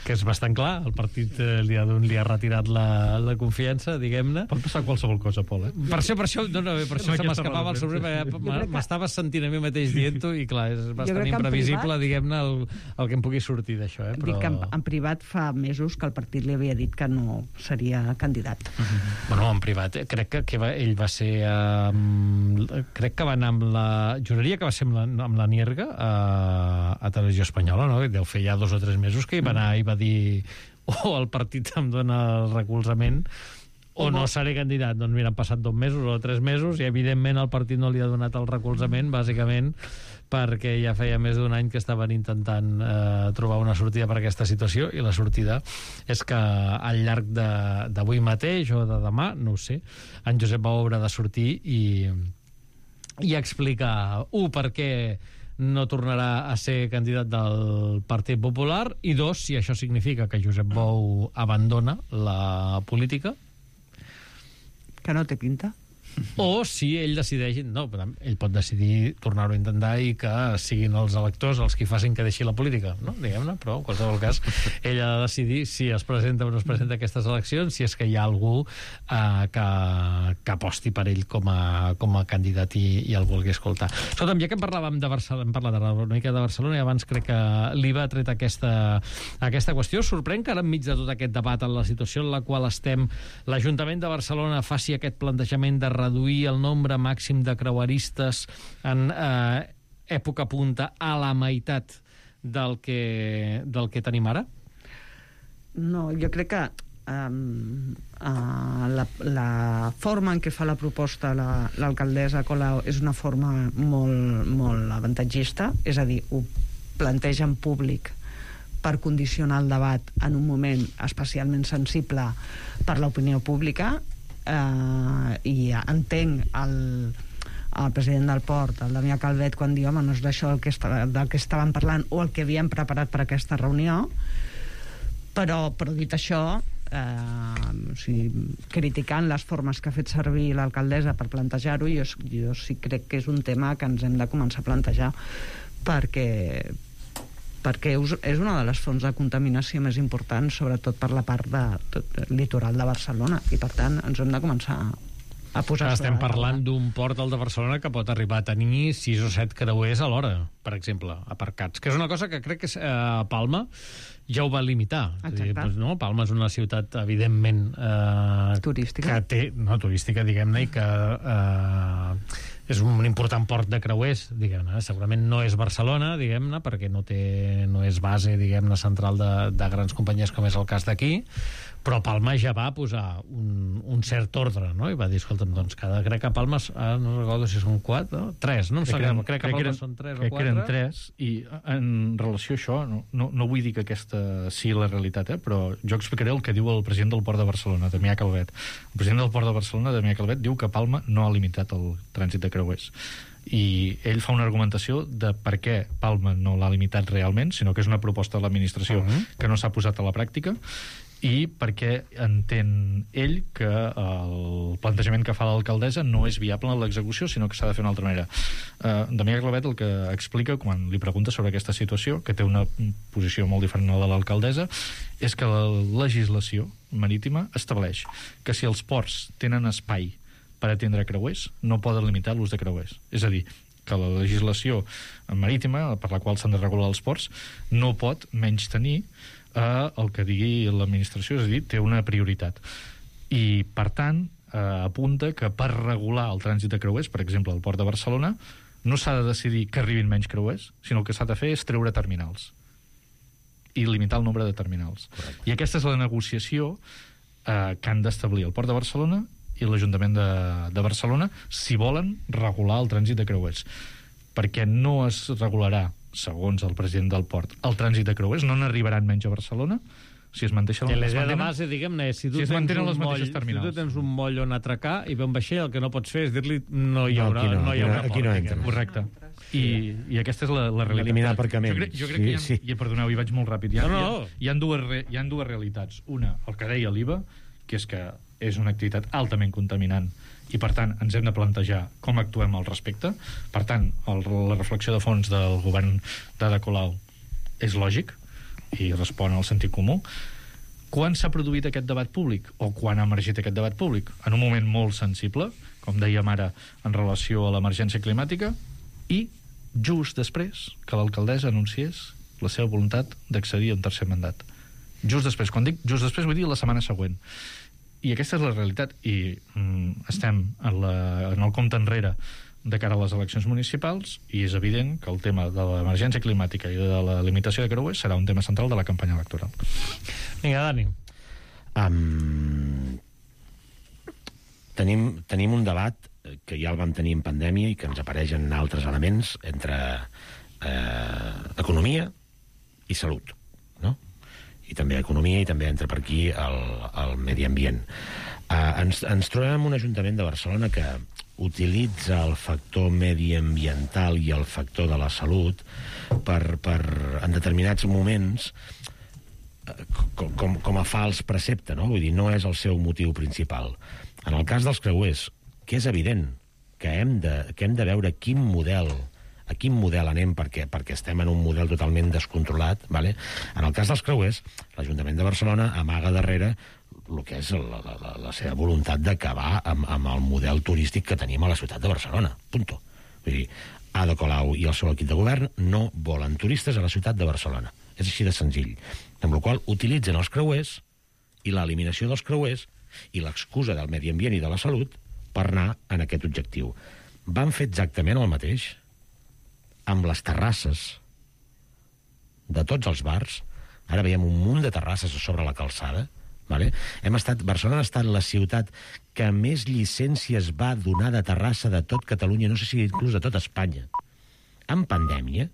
que és bastant clar, el partit eh, li, ha, li ha retirat la, la confiança, diguem-ne. Pot passar qualsevol cosa, Pol, eh? Per això, per això, no, no, per això se m'escapava el sobrenom, m'estava sentint a mi mateix dient-ho i clar, és bastant imprevisible, diguem-ne, el, el que em pugui sortir d'això, eh? Però... Dic que en, en privat fa mesos que el partit li havia dit que no seria candidat. Uh-huh. Bueno, en privat, eh, crec que, que va, ell va ser eh, crec que va anar amb la juraria que va ser amb la, amb la Nierga a, a Televisió Espanyola, no? Deu fer ja dos o tres mesos que hi va anar i va dir o el partit em dona el recolzament o no seré candidat. Doncs mira, han passat dos mesos o tres mesos i evidentment el partit no li ha donat el recolzament, bàsicament perquè ja feia més d'un any que estaven intentant eh, trobar una sortida per a aquesta situació, i la sortida és que al llarg d'avui mateix o de demà, no ho sé, en Josep Bou haurà de sortir i, i explicar, un, per què no tornarà a ser candidat del Partit Popular, i dos, si això significa que Josep Bou abandona la política. Que no té pinta. O si ell decideix, no, ell pot decidir tornar-ho a intentar i que siguin els electors els qui facin que deixi la política, no? Diguem-ne, però en qualsevol cas ell ha de decidir si es presenta o no es presenta a aquestes eleccions, si és que hi ha algú eh, que, que aposti per ell com a, com a candidat i, i el vulgui escoltar. Escolta'm, ja que parlàvem de Barcelona, hem parlat una mica de Barcelona i abans crec que l'Iva ha tret aquesta, aquesta qüestió, sorprèn que ara enmig de tot aquest debat en la situació en la qual estem, l'Ajuntament de Barcelona faci aquest plantejament de reduir el nombre màxim de creueristes en eh, època punta a la meitat del que, del que tenim ara? No, jo crec que um, uh, la, la forma en què fa la proposta la, l'alcaldessa Colau és una forma molt, molt avantatgista, és a dir, ho planteja en públic per condicionar el debat en un moment especialment sensible per l'opinió pública. Uh, i entenc el, el president del Port, el Damià Calvet, quan diu, home, no és d'això del que, està, del que estàvem parlant o el que havíem preparat per aquesta reunió, però, però dit això, eh, o sigui, criticant les formes que ha fet servir l'alcaldessa per plantejar-ho, jo, jo sí crec que és un tema que ens hem de començar a plantejar, perquè perquè és una de les fonts de contaminació més importants, sobretot per la part de, de, litoral de Barcelona, i per tant ens hem de començar a posar... Estem parlant d'un port, el de Barcelona, que pot arribar a tenir sis o set creuers a l'hora, per exemple, aparcats, que és una cosa que crec que eh, a Palma ja ho va limitar. Dir, doncs, no? Palma és una ciutat, evidentment... Eh, turística. Que té, no, turística, diguem-ne, i que... Eh, és un important port de creuers, diguem-ne. Segurament no és Barcelona, diguem-ne, perquè no té, no és base, diguem-ne, central de, de grans companyies com és el cas d'aquí, però Palma ja va posar un, un cert ordre, no? I va dir, escolta'm, doncs cada, crec que a Palma, ah, no recordo si són quatre, no? Tres, no em sap greu, crec que a Palma són tres o quatre. Crec que eren tres, i en relació a això, no, no, no vull dir que aquesta sigui la realitat, eh? Però jo explicaré el que diu el president del Port de Barcelona, Damià Calvet. El president del Port de Barcelona, Damià Calvet, diu que Palma no ha limitat el trànsit de creuers. I ell fa una argumentació de per què Palma no l'ha limitat realment, sinó que és una proposta de l'administració uh-huh. que no s'ha posat a la pràctica, i perquè entén ell que el plantejament que fa l'alcaldessa no és viable en l'execució, sinó que s'ha de fer d'una altra manera. Uh, Damià Calvet el que explica quan li pregunta sobre aquesta situació, que té una posició molt diferent a la de l'alcaldessa, és que la legislació marítima estableix que si els ports tenen espai per atendre creuers, no poden limitar l'ús de creuers. És a dir, que la legislació marítima, per la qual s'han de regular els ports, no pot menys tenir eh, el que digui l'administració, és a dir, té una prioritat. I, per tant, eh, apunta que per regular el trànsit de creuers, per exemple, al Port de Barcelona, no s'ha de decidir que arribin menys creuers, sinó el que s'ha de fer és treure terminals i limitar el nombre de terminals. Correcte. I aquesta és la negociació eh, que han d'establir el Port de Barcelona i l'Ajuntament de, de Barcelona si volen regular el trànsit de creuers, perquè no es regularà, segons el president del port, el trànsit de creuers, no n'arribaran menys a Barcelona si es manteixen les mantenen, de base, diguem-ne, si tu, si tens un les moll, si tu tens un moll on atracar i ve un vaixell, el que no pots fer és dir-li no hi haurà, no, no, no hi haurà aquí no, aquí no port. Correcte. I, I aquesta és la, la realitat. Eliminar aparcaments. Jo crec, jo crec sí, que hi ha, sí. I, perdoneu, hi vaig molt ràpid. Hi ha, no, no. Hi, ha, hi, ha dues re, hi ha dues realitats. Una, el que deia l'Iva, que és que és una activitat altament contaminant i, per tant, ens hem de plantejar com actuem al respecte. Per tant, el, la reflexió de fons del govern d'Ada Colau és lògic i respon al sentit comú. Quan s'ha produït aquest debat públic? O quan ha emergit aquest debat públic? En un moment molt sensible, com dèiem ara, en relació a l'emergència climàtica, i just després que l'alcaldessa anunciés la seva voluntat d'accedir a un tercer mandat. Just després. Quan dic just després, vull dir la setmana següent. I aquesta és la realitat. I mm, estem en, la, en el compte enrere de cara a les eleccions municipals i és evident que el tema de l'emergència climàtica i de la limitació de creuers serà un tema central de la campanya electoral. Vinga, Dani. Um, tenim, tenim un debat que ja el vam tenir en pandèmia i que ens apareixen altres elements entre eh, economia i salut, no? I també economia i també entra per aquí el, el medi ambient. Uh, ens, ens trobem en un Ajuntament de Barcelona que utilitza el factor mediambiental i el factor de la salut per, per en determinats moments, com, com, com a fals precepte, no? Vull dir, no és el seu motiu principal. En el cas dels creuers, que és evident que hem de, que hem de veure quin model a quin model anem, perquè, perquè estem en un model totalment descontrolat, vale? En el cas dels creuers, l'Ajuntament de Barcelona amaga darrere el que és la, la, la seva voluntat d'acabar amb, amb el model turístic que tenim a la ciutat de Barcelona. Punto. Vull dir, Ada Colau i el seu equip de govern no volen turistes a la ciutat de Barcelona. És així de senzill. Amb la qual cosa utilitzen els creuers i l'eliminació dels creuers i l'excusa del medi ambient i de la salut per anar en aquest objectiu. Van fer exactament el mateix amb les terrasses de tots els bars. Ara veiem un munt de terrasses a sobre la calçada. Vale? Hem estat, Barcelona ha estat la ciutat que més llicències va donar de terrassa de tot Catalunya, no sé si inclús de tot Espanya. En pandèmia,